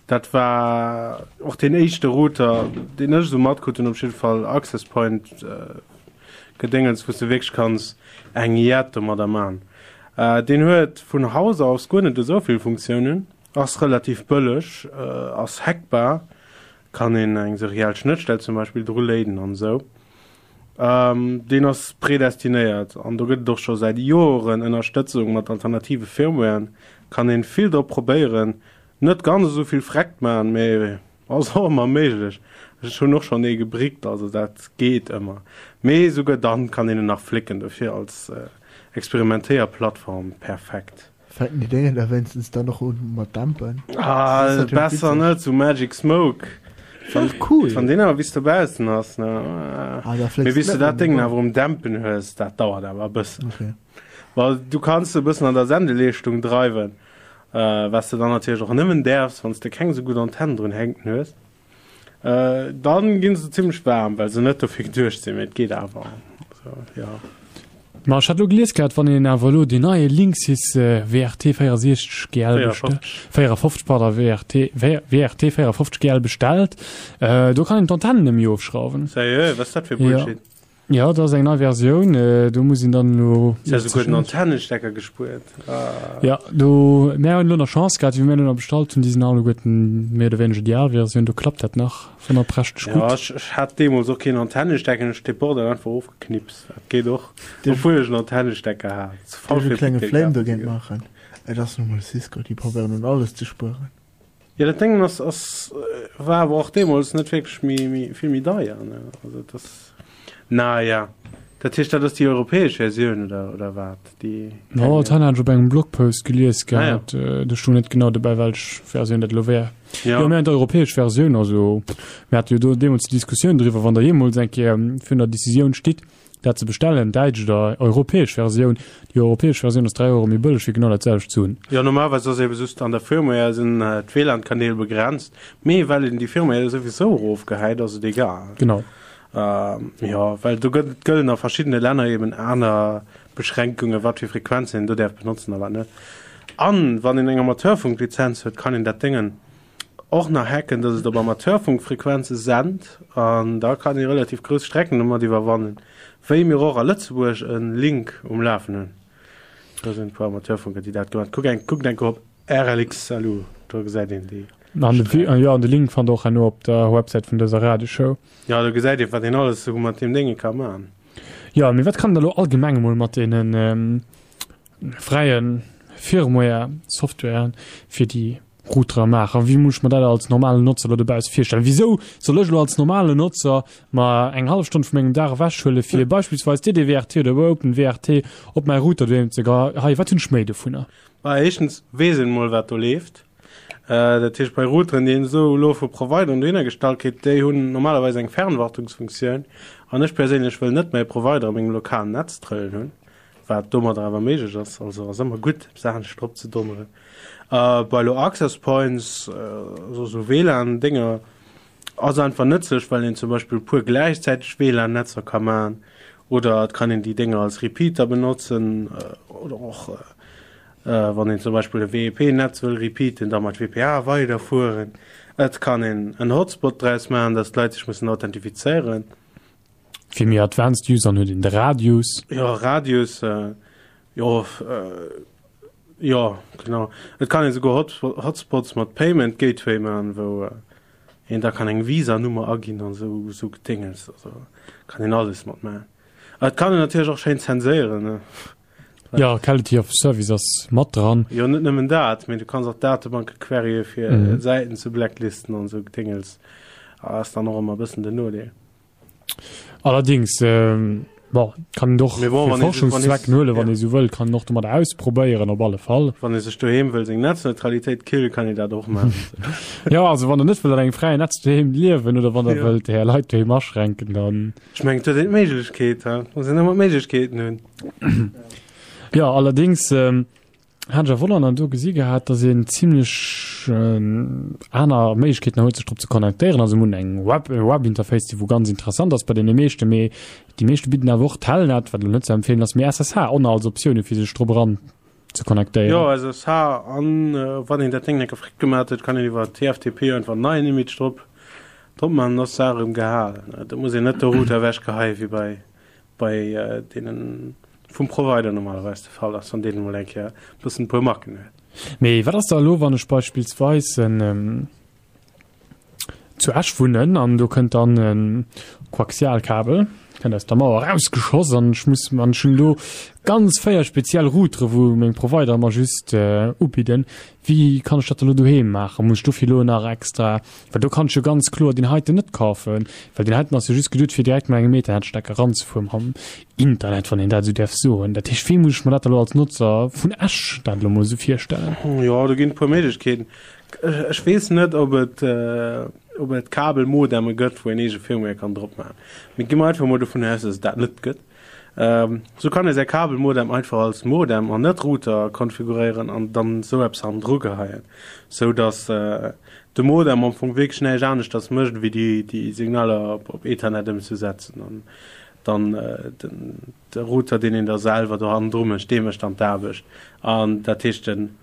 Dat war och deen éischte Router, deen ech esou matkritt hunn, op jidde Fall Access Point. Gedéngens wou s de wierklech kanns eng Jett domadder man. Deen huet vun Haus aus guer net esou vill Funktiounen, ass relativ bëlleg, ass hackbar, kann een eng seriell Schnëttstell zum Beispill dru léiden an esou. Deen ass predestinéiert an do gëtt et och scho säit Joren Ënnerstëtzung mat alternative Firmwaren, kann een vill drop probéieren, net ganz esou vill Freckt man, mee Ass och ëmmer méiglech. Ech hunn och schonn ee gebrickt, also dat geet ëmmer. Mee souguer dann kann een en nach flécken, dofir als Experimentéierplattform perfekt. Fänken déi Déngen da wéinstens dann och un mat dämpen? Ah, besser net, sou Magic Smoke. War cool. Wann deen awer bis dobaussen ass, ne? Ah, da flécks Mee bis net du dat méi, Déngen bon. awer um Dämpen hues, dat dauert awer e bëssen. Okay. Well du kanns e bëssen an der Sendeleeschtung dreiwen. Wat s de dann natierlech och nëmmen däerfs, wann s de keng esou gutt Antenn drun hänken hues. Dann ginn se zimmlech waarm, well se net dofir geduecht sinn, mee et geet awer. Also, jo. Ma ech hat elo gelies gehat, wann een awer elo deen neie Linksys W R T véierundsechzeg G L bestellt, véierundfofzeg, pardon, W R T, W R T véierundfofzeg G L bestellt, do kann een d'Antennen net méi ofschrauwen. Sérieux? Wat ass dat fir Bullshit? Jo, dat ass eng nei Versioun, do muss een dann elo. Se huet souguer den Antennestecker gespuert. Ah. Ja, do, mär hunn elo nach Chance gehat, wéi mir elo nach bestallt hunn, déi sinn alleguerten méi oder wéineger déi al Versioun, do klappt dat nach wonnerprächteg Ja, gutt. ech, ech hat deemools och keen Antennestecker, ech hunn de Bordell einfach ofgeknipst. Dat geet och, obwuel ech en Antennestecker hat. Ze faul Dierf ech fir e klenge P T Flame kafen ze dogéint goen. maachen? Et ass nu mol Cisco, déi probéieren un alles ze spueren. Jo, dat Déngen ass, ass, war awer och deemools net wierklech méi, méi, vill méi deier, ne? Also et ass, naja. Dat heescht, dat ass déi europäesch Versioun oder, oder wat? Déi Jo, dat hat ech op engem Blogpost gelies Ah ja. gehat. Do stoung net genau dobäi, welch Versioun dat elo wär. Ja. Jo, mir hunn d'europäesch Versioun, also mir hate jo do deemools déi Diskussioun driwwer, wann Der jeemools eng Kéier virun der Decisioun stitt, dat ze bestellen, däitsch oder europäesch Versioun, déi europäesch Versioun ass dräi Euro méi bëlleg fir genau dat selwecht ze hunn. Jo, normalerweis ass eben just an der Firmware sinn d'W L A N-Kanäl begrenzt, mee well een déi Firmware souwisou erofgehäit, ass et egal. Genau. Jo, well do gëtt, gëllen a verschiddene Länner eben aner Beschränkungen, wat fir Frequenzen een do däerf benotzen a wat net. An wann een eng Amateurfunklizenz huet, kann een dat Déngen och nach hacken, dass et op Amateurfunkfrequenze sent an da kann ee relativ grouss Strecken domat iwwerwannen, wéi mir och a Lëtzebuerg e Link um Lafen hunn. Do sinn e puer Amateurfunker, déi dat gemaach hunn. Kuckt eng, kuckt eng Kéier op RLXLU, do gesäit een déi. An de, jo, an de Link fannt der och herno op der Websäit vun dëser Radioshow. Jo, do gesäit een, wat een alles esou mat deem Dénge ka maachen. Jo, mee wat kann een da lo allgemeng emol mat deenen fräie Firmware, Software fir déi Routere maachen? Wéi muss ech mer dat als normalen Notzer elo dobausse virstellen? Wisou soll ech elo als normalen Notzer mer eng hallef Stonn vu mengem Dag ewechhuele fir beispillsweis D D W R T oder Open W R T op mäi Router doheem ze geheien? Wat hunn ech méi dovunner? Bah, éischtens weess een emol, wat do leeft. Dat heescht, bei Routeren, déi een esou elo vu Provideren dohinner gestallt kritt, déi hunn normalerweis eng Fernwartungsfunktioun. An ech perséinlech wëll net mäi Provider a mengem lokalen Netz trëllen hunn, wat domadder awer méiglech ass. Also ass ëmmer gutt, eppes anescht drop ze donneren. Bei elo Access Points, also esou W LAN-Dénger, ass einfach nëtzlech, well een zum Beispill e puer gläichzäiteg W LAN-Netzer ka maachen oder et kann een déi Dénger als Repeater benotzen oder och wann een zum Beispill e W E P-Netz wëll repeaten, da mat W P A weiderfueren. Et kann een en Hotspot draus maachen, dass d'Leit sech mussen authentifizéieren. Fir méi advanced Usern huet een de Radius. Jo, Radius, jo, jo, genau. Et kann een esouguer Hotspots mat Payment Gateway maachen, wou een da kann eng Visa-Nummer aginn an esou, esou Gedéngens. Also kann een alles mat maachen. Et kann een natierlech och schéin zenséieren, ne. Jo, Quality of Service ass mat dran. Jo, net nëmmen dat, mee du kanns och Datebanke querye fir Säiten ze blacklisten an esou Gedéngels. Ass dann och ëmmer e bëssen den Nodeel. Allerdings, bon, kann een och fir Forschungszwecken huelen, wann ee sou wëll, kann een och domat ausprobéieren op alle Fall. Wann ee sech doheem wëll seng Netzneutralitéit killen, kann een dat och maachen. Jo, also wann der net wëllt an engem fräien Netz doheem liewen oder wann der wëllt är Leit doheem aschränken, dann. Ech mengen, et huet een d'Méiglechkeet, he? Muss een ëmmer d'Méiglechkeeten hunn. Jo, allerdings hat ech a Wonnern do gesi gehat, dass een zimlech aner Méiglechkeeten huet, sech drop ze connectéieren. Also mir hunn eng Web, e Webinterface, déi wou ganz interessant ass bei deene meeschte, mee déi meeschte bidden awer och Telnet, wat elo net ze empfeelen ass, mee S S H och nach als Optioun, fir sech drop eran ze connectéieren. Jo, S S H an wann een dat Déng enke fréck gemaat huet, kann een iwwer T F T P einfach en neien Image drop drop man, dann ass d'Saach erëm gehalen. Do muss een net de Router ewechgeheien, wéi bei bei deenen vum Provider normalerweis de Fall ass, wann deen emol eng Kéier e bëssen e puer Macken huet. Mee wat ass da elo, wann ech beispillsweis en zu Esch wunnen an do kënnt dann e Koaxialkabel, kënnt aus der Mauer erausgeschoss an ech muss, an ech hunn do ganz véier speziell Routere wou meng Provider mer just ubidden. Wéi kann ech dat elo doheem maachen? Muss ech dofir elo nach extra, well do kann ech jo ganz kloer deen heiten net kafen, well deen heiten ass jo just geduet fir direkt mat engem Ethernet-Stecker eranzefueren mam Internet, wann een dat esou däerf soen. Dat heescht, wéi muss ech mer dat elo als Notzer vun Esch dat elo mol esou virstellen? Jo, do ginn e puer Méiglechkeeten. Ech weess net, ob et, ob et Kabelmodemme gëtt, wou een eege Firmware kann drop maachen. Mee gi mer einfach mol dovun aus, dass et dat net gëtt. Sou kann ee säi Kabelmodem einfach als Modem an net Router konfiguréieren an dann esou eppes hannendru geheien, sou dass de Modem am Fong wierklech näischt aneschters mécht ewéi déi déi Signaler op Ethernet ëmzesetzen an dann den de Router deen een da selwer do hannendru mécht, dee mécht dann d'Aarbecht. An dat heescht den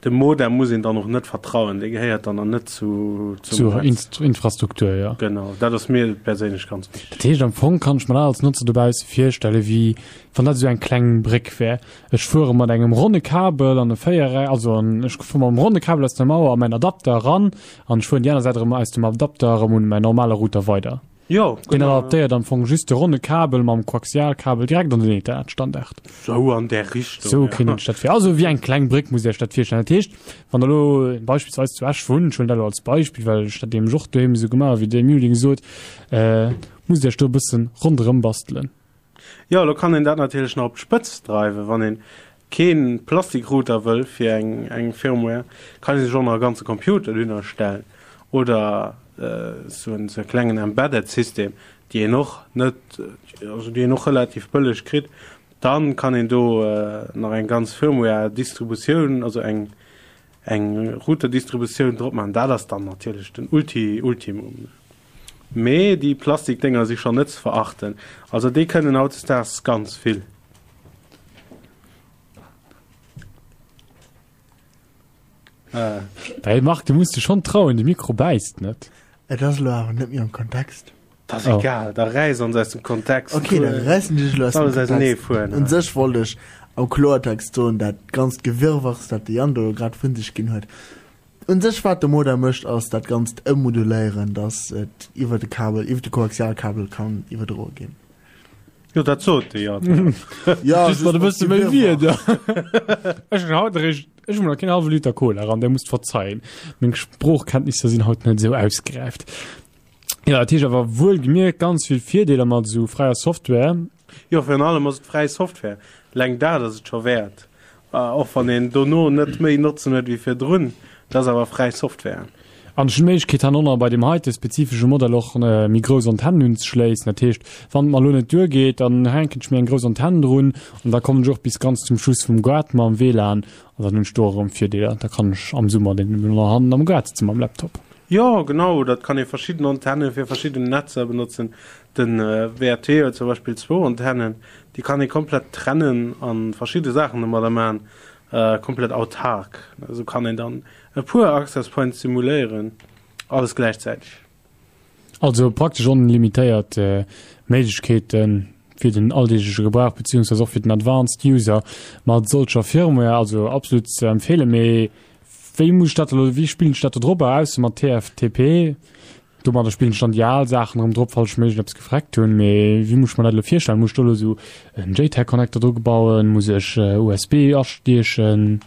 Dem Modem muss een dann och net vertrauen, dee gehéiert dann an net zu, zum Zur Netz. Infrastruktur, jo. Genau, dat ass mir perséinlech ganz wichteg. Dat heescht, am Fong kann ech mer dat als Notzer dobausse virstellen, wéi wann dat esou eng kleng Bréck wär. Ech fuere mat engem ronne Kabel an e Véiereck, also an ech fuere mam ronne Kabel aus der Mauer a mäin Adapter eran an ech fueren déi aner Säit erëm aus dem Adapter erëm un mäin normale Router weider. Jo, Deen genau. adaptéiert am Fong just de ronne Kabel mam Koaxialkabel direkt an den Ethernet-Standard. Sou an där Richtung, Sou ja. kéint een sech dat vir, also wéi eng kleng Bréck musst Dir Iech dat virstellen. Dat heescht, wann Der elo beispillsweis zu Esch wunnt, ech huelen dat elo als Beispill, well ech dat nämlech och doheem esou gemaach hu wéi de Mulling sot, musst Dir Iech do e bëssen ronderëm bastelen. Jo, elo kann een dat natierlech nach op d'Spëtzt dreiwen, wann een kee Plastikrouter wëll fir eng eng Firmware, kann ee sech och nach e ganze Computer dohinner stellen oder sou en sou e klengen Embedded System, déi een och net, also déi een och relativ bëlleg kritt. Dann kann een do nach eng ganz Firmware Distributioun, also eng eng Router-Distributioun drop maachen. Dat ass dann natierlech den Ulti Ultimum. Mee déi Plastikdénger si schonn net ze verachten. Also déi kënnen hautdesdaags ganz vill. Hey Marc, du muss dech schonn trauen, de Mikro bäisst net. Et ass elo awer net méi am Kontext. Dat ass egal, da räiss ons aus dem Kontext. Ok, da räissen ech dech elo aus dem Kontext. Un sech wollt ech am Kloertext soen, dat ganzt Gewirrwarrs, dat de Yann do grad vun sech ginn huet, un sech wat de Modem mécht, ass dat Ganzt ëmmoduléieren, dass et iwwer de Kabel, iwwer de Koaxialkabel kann iwwerdroe ginn. Jo, dat sot de jo. Ja, Just mat e bësse méi Wierder. Ech hunn haut eréischt, ech hunn nach keen hallwe Liter Cola eran, där musst verzeien. Meng Sproochkenntnisser sinn haut net esou ausgeräift. Jo, dat heescht awer wuel gemierkt ganz vill Virdeeler mat esou fräier Software. Jo, virun allem ass et fräi Software. Eleng dat ass et scho wäert. Och wann een dono net méi Notzen huet wéi virdrun, et ass awer fräi Software. An ech hunn d'Méiglechkeet hannonner bei deem heite spezifesche Modell och méi grouss Antennen unzeschléissen. Dat heescht, wann et mer elo net duergeet, dann hänken ech mir eng grouss Antenn drun an da kommen ech och bis ganz zum Schluss vum Gaart mam W LAN an dann hunn ech do och erëm Virdeeler. Da kann ech am Summer dann eben och hannen am Gaart sëtze mam Laptop. Jo, genau, dat kann ee verschidden Antenne fir verschidden Netzer benotzen. Den W R T huet zum Beispill zwou Antennen, déi kann ee komplett trennen a verschidde Saachen domadder maachen, komplett autark. Esou kann een dann e puer Access Points simuléieren, alles gläichzäiteg. Also praktesch onlimitéiert Méiglechkeeten fir den alldeegleche Gebrauch beziehungsweise och fir den Advanced User mat solcher Firmware, also absolut ze empfeelen. Mee wéi muss ech dat elo, wéi spillen ech dat do drop ausser mat T F T P? Domadder spillen ech dann déi al Saachen erëm drop, falls ech méi iergendeppes gefreckt hunn. Mee wéi muss ech mer dat elo virstellen? Muss ech do elo esou en JTAG-Connector dru bauen? Muss ech U S B astiechen?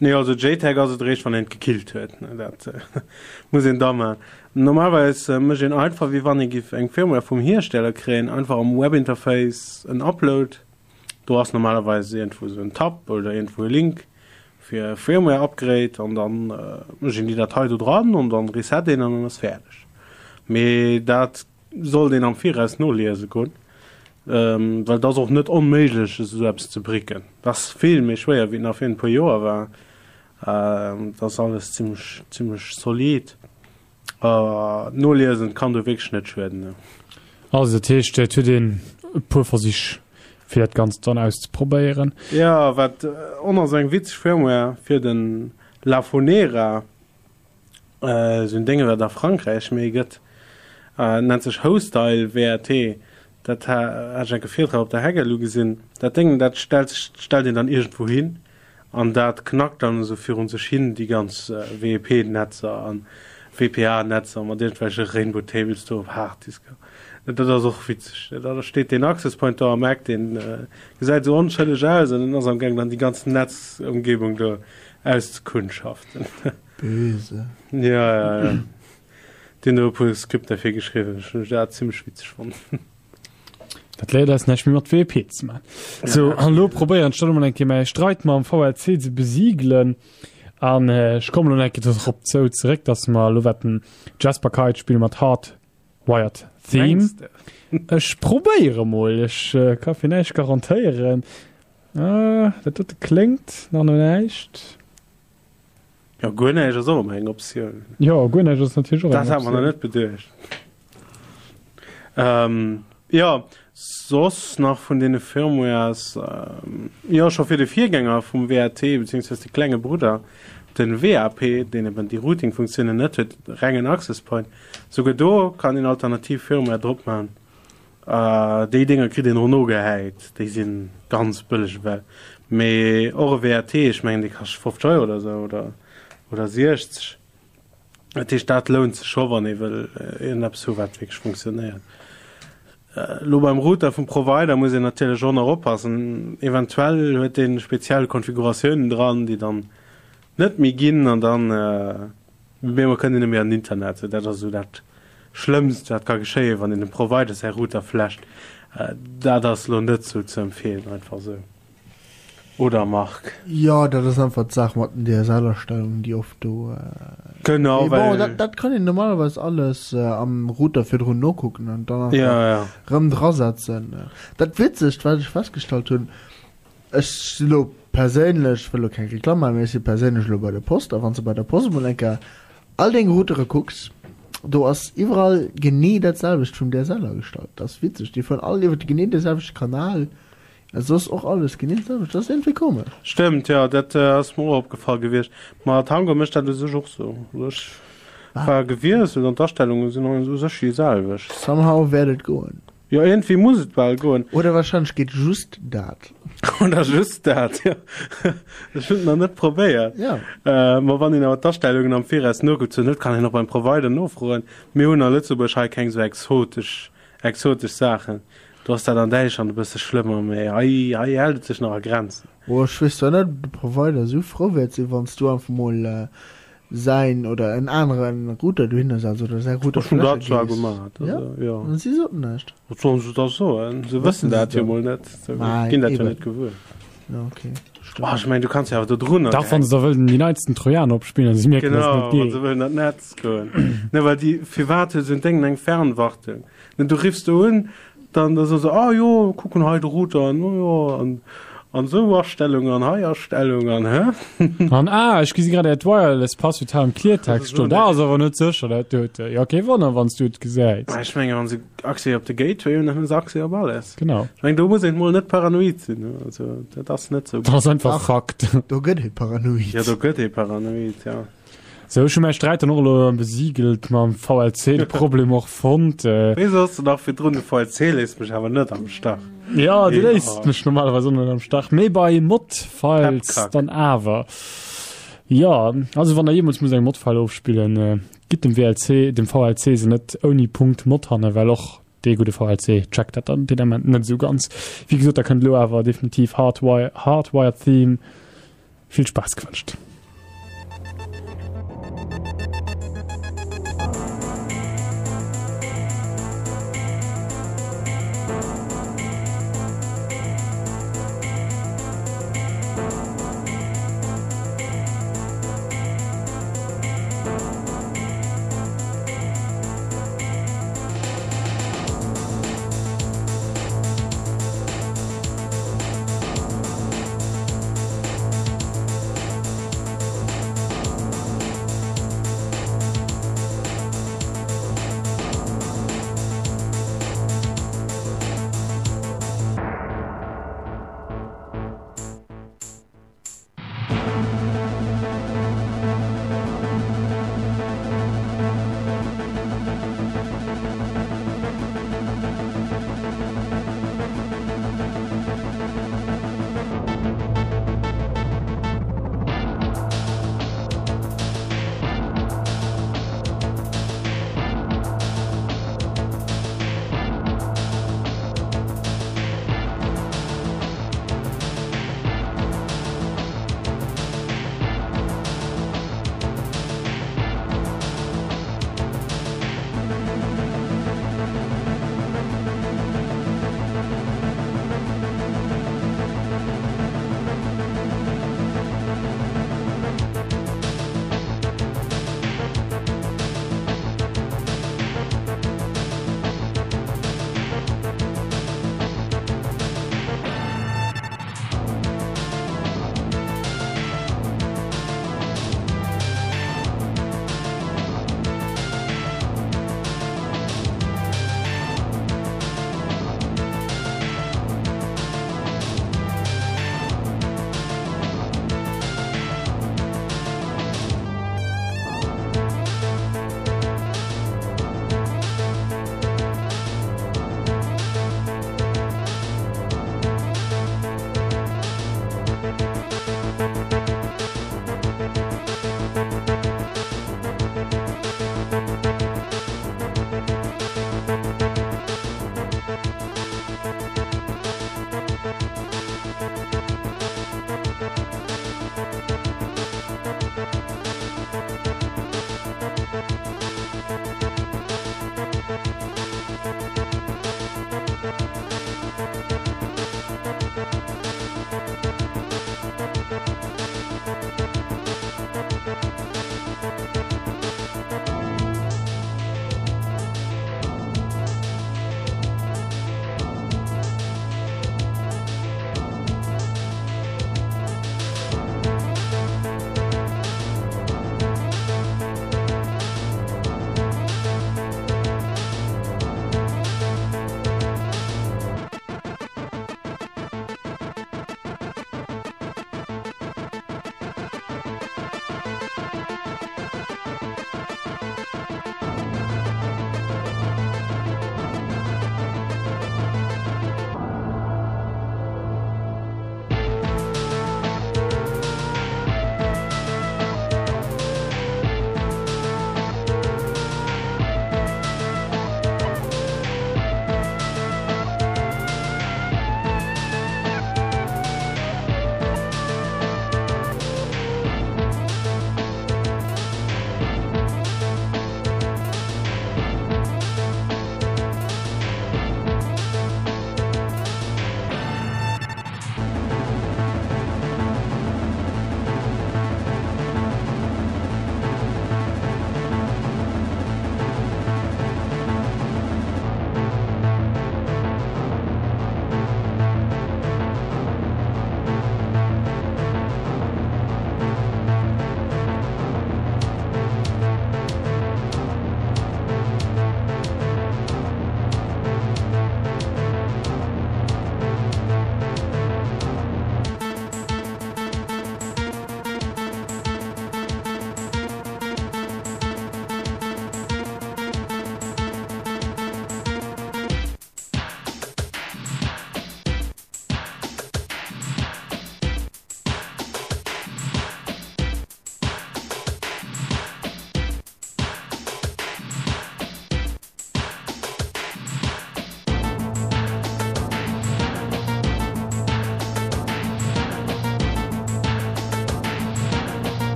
Nee, also JTAG ass et eréischt, wann een et gekillt huet. Dat muss een da maachen. Normalerweis mécht een einfach, wéi wann ee giff eng Firmware vum Hiersteller kréien, einfach am Webinterface en Upload. Do ass normalerweis iergendwou esou en Tab oder iergendwou e Link fir Firmware Upgrade an dann mécht een déi Datei do dran an dann reset een an dann ass fäerdeg. Mee dat sollt een am Viraus noliese goen, well et ass och net onméiglech esou eppes ze bricken. Dat ass vill méi schwéier wéi et nach virun e puer Joer war. Dat ass alles zimmlech, zimmlech solid. Noliesen kann do wierklech net schueden. Also dat heescht, et huet een e puer Versich fir dat Ganzt dann auszeprobéieren. Ja, wat och nach esou eng witzeg Firmware fir den La Fonera, esou en Dénge wat a Frankräich méi gëtt, nennt sech Hostile W R T. Dat hat ech enke Virtrag op der Hack L U gesinn. Dat Déngen, dat stellt sech, stellt een dann iergendwou hin an dat knackt dann esou virun sech hin déi ganz W E P-Netzer an W P A-Netzer mat iergendwelche Rainbow Tables do op Harddisker. Dat ass och witzeg. Da steet deen Access Point do am Eck, deen gesäit esou onschëlleg aus an den ass am Gaang dann déi ganz Netzumgebung do auszekundschaften. Böse. Ja, ja, ja. Deen huet e puer Skripter fir geschriwwen. Ech hunn dat zimmlech witzeg fonnt. Dat léiert eis näischt méi mat W E P ze maachen. So, an elo probéieren ech dann emol eng Kéier mäi Streit mam V L C ze besiegelen. An ech kommen elo eng Kéier dorop zou zeréck, dass mer elo wäerten Jesper Kyd spille mat Hard Wired Theme. Mengst de? Ech probéiere mol. Ech ka fir näischt garantéieren. Ah, dat dote kléngt nach no näischt. Ja, guer näischt ass och ëmmer eng Optioun. Jo, guer näischt ass natierlech och eng Dat hat mer nach Optioun. net beduecht. Ähm, ja, soss nach vun deene Firmwares, ähm, jo, scho fir de Virgänger vum W A T, beziehungsweise de klenge Brudder, den W A P, deen eben déi Routing-Funktiounen net huet, rengen Access Point, souguer do kann een alternativ Firmware drop maachen. Äh, déi Dinger kritt een och nogehäit, déi si ganz bëlleg ewell. Mee och e W A T, ech mengen, dee kascht fofzeg Euro oder sou, oder, oder siechzeg. Dat heescht, dat lount sech scho, wann ee wëll iergendeppes hu wat wierklech funktionéiert. Elo beim Router vum Provider muss een natierlech och nach oppassen. Eventuell huet dee speziell Konfiguratiounen dran, déi dann net méi ginn an dann op eemol kënnt een net méi an den Internet. Dat ass esou dat Schlëmmst, wat ka geschéien, wann een dem Provider säi Router flasht. Dat ass elo net sou ze empfeelen, einfach esou. Oder Marc? Jo, dat ass einfach d'Saach mat den D S L-Astellungen, déi oft do. Genau, Mee bon, well dat, dat kann een normalerweis alles am Router virdrun nokucken an dann einfach Ja, ja. rëm drasetzen. Dat Witzegt, wat ech festgestallt hunn, ech si lo perséinlech, wëll lo keng Reklamm maachen, mee ech si perséinlech lo bei der Post, a wann s de bei der Post emol eng Kéier all deng Routere kucks, do ass iwwerall genee dat selwecht vum D S L agestallt. Dat ass witzeg, déi fueren all iwwer genee de selwechte Kanal. Soss och alles genee d'selwecht. Dat ass iergendwéi komesch. Stëmmt, jo, dat ass mer och opgefall gewiescht. Ma Tango mécht dat u sech och sou. Also ech war gewiesselt an d'Astellunge sinn u sech déi selwecht. Somehow wäert et goen. Jo, iergendwéi muss et bal goen. Oder wahrscheinlech geet just dat. Oder just dat, jo. Ech hunn et nach net probéiert. Jo. Ma wann een awer d'Astellungen am Viraus nokuckt, zur Nout kann een och beim Provider nofroen. Mir hunn a Lëtzebuerg hei keng sou exotesch, exotesch Saachen. Do ass dat an Däitschland e bësse schlëmmer, mee hei, hei hält et sech nach a Grenzen. Oh, ech weess zwar net, ob de Provider esou frou wäert sinn, wann s du einfach mol säin oder en anere Router dohinner setz oder säi Router Ech hunn dat fläche zwar gees. gemaat, Ja? also jo. An si soten näischt. Wat sollen se da soen? Se wëssen dat jo mol net, se Ma ginn dat jo eben. net gewuer. Ja, okay. Oh, ech mengen, du kanns jo awer do drunner Dach, wann se da wëllen déi neitsten Trojaner opspillen, se mierken, dass et Genau, net wann geet. se wëllen an d'Netz goen. Ne, well déi, firwat huet esou en Déngen eng Fernwartung? Ne, du riffs do un, dann da soe se, ah jo, kucken hei de Router an, oh jo, an an esou Astellung an hei Astellung an hä? An ah, ech gesi grad äert Wireless Passwuert hei am Kliertext stoen. Dat ass awer net sécher, dat dote. Jo, kee Wonner, wann s du et gesäis. Mä ech mengen, wann se Accès op de Gateway hunn, dann hunn se Accès op alles. Genau. Ech mengen, do muss een mol net paranoid sinn, also dat ass net sou. Dat ass einfach Ach. Fakt. Do gëtt ee paranoid. Jo, do gëtt ee paranoid, ja. Sou, ech hu mäi Sträit dann och elo besiegelt mam V L C, de Problem och fonnt. Wéi soss de nach virdrun, de V L C léisst mech awer net am Stach. Ja, dee léisst mech normalerweis och net am Stach, mee bei Mod-Files dann awer. Jo, also wann der jeemools musst eng Mod-File ofspillen, gitt dem W L C, dem V L C se net ouni Punkt Mod hanne, well och dee gudde V L C checkt dat dann deen Ament net esou ganz. Wéi gesot, da kënnt elo awer definitiv Hardwired Theme. Vill Spaass gewënscht.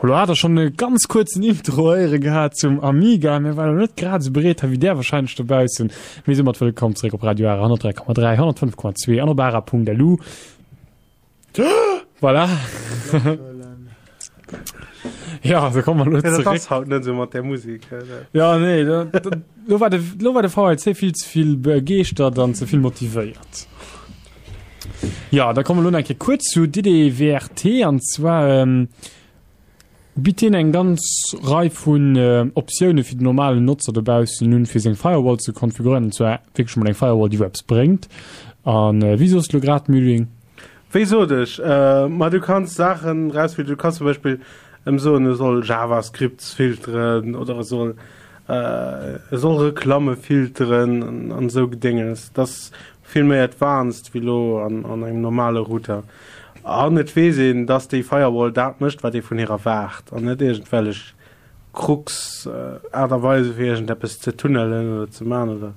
Lo hat der schonn e ganz kuerzen Intro héiere gehat zum Amiga. Mir waren net grad esou bereet hei wéi där wahrscheinlech dobaussen. Mee soumat wëllkomm zeréck op Radio Ara honnertdräi Komma dräi, honnertfënnef Komma zwee an op ara Punkt lu. Voilà. Ja, da komme mer elo Ja, dat zeréck. ass haut net esou mat där Musek. dat- Ja, nee, da, da, lo war de, lo war de V L C vill ze vill begeeschtert an ze vill motivéiert. Ja, da komme mer lo eng Kéier kuerz zu D D W R T an zwar ähm, bitt deen eng ganz Rei vun äh, Optioune fir den normalen Notzer dobaussen nun fir seng Firewall ze konfiguréieren, an zwar wierklech mol eng Firewall, déi wou eppes bréngt. An äh, wéi soos du lo grad, Mühling? Wéi sot ech? Äh, ma du kanns Saachen rausfilteren. Du kanns zum Beispill em soen, e soll JavaScripts filteren oder e soll, äh, e soll Reklamme filteren an, an esou Gedénges. Dat ass vill méi advanced wéi lo an, an engem normale Router. An et weess een, dass déi Firewall dat mécht, wat ee vun hir erwaart an net iergendwellech Krux, äh, Aart a Weise fir iergendeppes ze tunnelen oder ze man oder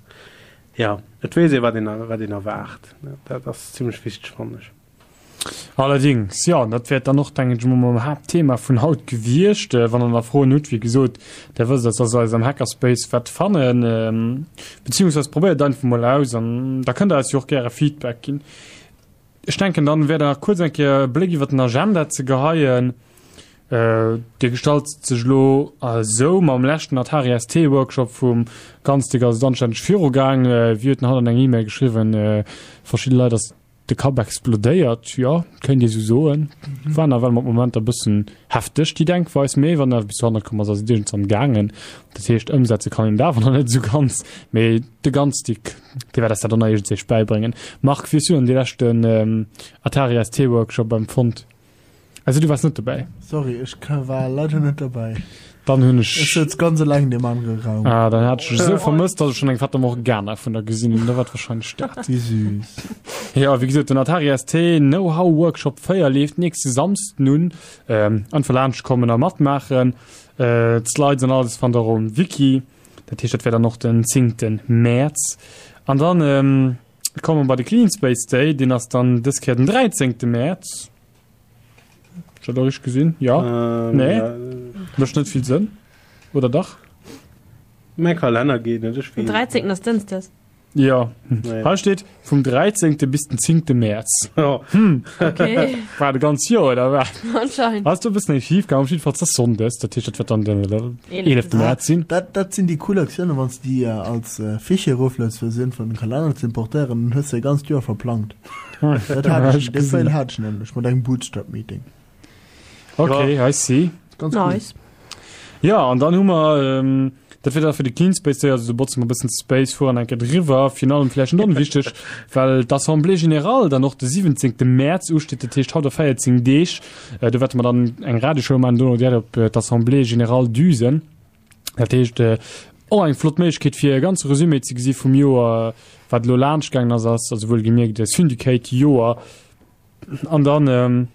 ja, et weess ee wat een, wat een erwaart. Dat ass zimmlech wichteg, fannen ech. Allerdings, ja, dat wäert dann och, denken ech mol, mam Haaptthema vun haut gewiescht. Äh, wann der nach Froen hutt, wéi gesot, der wësst, dass der eis am Hackerspace wäert fannen, ähm, beziehungsweise probéiert einfach mol aus an da kënnt der eis jo och gäre Feedback ginn. Ech denken, dann wär da kuerz eng Kéier e Bléck iwwer den Agenda ze geheien. Äh, dee gestalt sech lo esou, mam leschten Atari S T Workshop vum Ganzdig ass et anstänneg virugaang. Äh, wéi huet en haut an eng E-Mail geschriwwen, äh, verschidde Leit ass de Kapp explodéiert, jo, kéint ee sou soen. War nawell mat Momenter e bëssen hefteg, déi Denkweis, mee wann awer bis dohannert komm ass, ass et iergendswann gaangen. Dat heescht, ëmsetze kann een et awer nach net esou ganz, mee de Ganzdig, dee wäert eis dat dann nach iergendséich bäibréngen. Marc, wéi hues du dann dee leschten Atari S T Workshop empfonnt? Also du wars net dobäi? Sorry, ech war leider net dobäi. Dann hunn ech. Ech souz ganz eleng an deem anere Raum. Ah, dann hat ech dech esou vermësst, dass ech schon eng Fata Morgana vun der gesinn hunn. Da war et wahrscheinlech dat. Wéi süß. Ja, wéi gesot, den Atari S T Know-how Workshop véier leeft nächste Samsden un. Ähm, einfach laanscht kommen a matmaachen. Äh, d'Slides an alles fannt der um Wiki. Dat heescht, dat wär dann och den zéngte Mäerz. An dann ähm, komme mer bei de Clean Space Day, deen ass dann dës Kéier den dräizéngte Mäerz. Schon da richtig gesinn? Ja. Ähm, Nee. ja. Mécht net vill Sënn. Oder dach? Mäi Kalenner geet net, ech Den weess. dräizéngten ass Dënschdes. Ja. Nee. Hei steet vum dräizéngte bis den zéngte Mäerz. Ja. Hm. Okay. War de ganz Joer, oder wat? Anscheinend. Ass do e bëssen eng schief gaangen. Op jiddefalls ass Sonndes, dat heescht, dat wäert dann den eelefte Mäerz sinn. Dat, dat sinn déi cool Aktiounen, wann s de déi als Fichier eroflueds, fir se iergendwann an den Kalenner ze importéieren, dann hues de e ganzt Joer verplangt. Dat hat ech, dee Fail hat ech nämlech mat engem Bootstrap-Meeting. Okay, I see. Ganz cool. Nice. Ja, an dann hu mer, ähm, dat wier da fir de Clean Space Day, also do botze mer e bëssen Space, fueren eng Kéier driwwer, virun allem vläicht net onwichteg, well d'Assemblée générale dann och de siwwenzéngte Mäerz usteet, dat heescht haut a véierzéng Deeg. Äh, do wäerte mer dann eng Radioshow maachen, dono direkt op äh, d'Assemblée générale düsen. Dat heescht, äh, och eng flott Méiglechkeet fir e ganze Resumé ze gesi vum Joer, wat elo laanscht gaangen ass, ass also wuel gemierkt e Syndicate-Joer. An dann, ähm,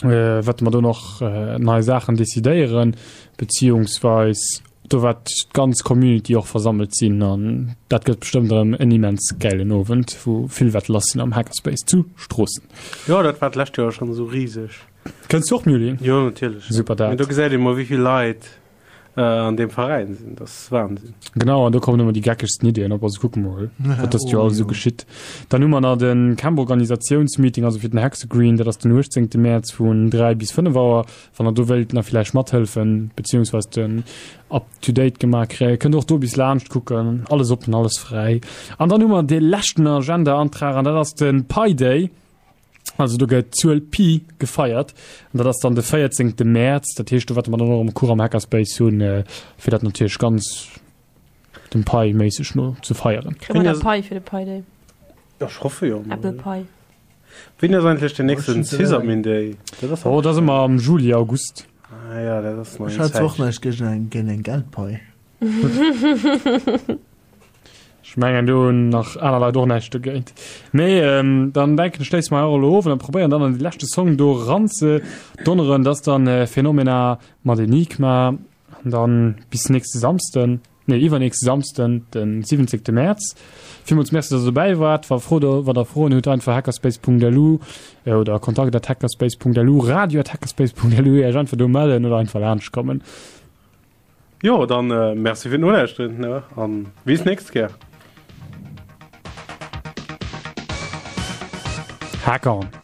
äh, wäerte mer do nach äh, nei Saachen decidéieren, beziehungsweis do wäert d'ganz Community och versammelt sinn an dat gëtt bestëmmt erëm en immens gäilen Owend, wou vill wäert lass sinn am Hackerspace zu Stroossen. Jo, dat war d'lescht Joer schonn esou riseg. Kënns du och, Muli? Jo, natierlech. Super dat. Mee do gesäit ee mol, wéi vill Leit äh, an deem Veräin sinn. Dat ass Wahnsinn. Genau, an do kommen ëmmer déi geckegsten Iddien op. Also kucke mol, wat dëst Joer alles esou geschitt. Dann hu mer nach de Camp-Organisatiounsmeeting, also fir den Hexagreen, dat ass den uechtzéngte Mäerz vun dräi bis fënnef Auer. Wann der do wéilt nach villäicht mathëllefen, beziehungsweise den up-to-date gemaach kréien, kënnt och do bis laanscht kucken. Alles oppen, alles fräi. An dann hu mer dee leschten Agenda-Antrag, an dat ass de Pi Day. Also do gëtt d'Zuel Pi gefeiert an dat ass dann de véierzéngte Mäerz. Dat heescht, do wäerte mer dann och erëm Cours am Hackerspace hunn, fir dat natierlech ganz dem Pi méisseg no ze feieren. Kréie mer da Pai fir de Pi Day? Ech hoffe jo. Apple Pie. Wéini ass eigentlech den nächsten Sysadmin Day? Dat ass Oh, dat ass ëmmer am Juli, August. Ah ja, dat ass nach Ech eng hat zwar och Zäitchen. näischt géint eng, géint eng Geldpai. Ech mengen do hunn nach aner Leit och näischt dogéint. Mee ähm, dann denken ech schléisse mer och elo of an dann probéieren dann an de leschte Song do ran ze donneren, dat ass dann äh, Phenomena mat Enigma an dann bis nächste Samsden. nee, iwwernächste Samsden, den siwwenzéngte Mäerz. Villmools Merci, dass der dobäi waart. Wa Fro wann der Froen hutt, einfach hackerspace Punkt L U oder kontakt at hackerspace Punkt L U, radio at hackerspace Punkt L U, Iech einfach do mellen oder einfach laanscht kommen. Jo, dann äh, Merci fir d'Nolauschteren, ne? An bis nächst Kéier. Hack on!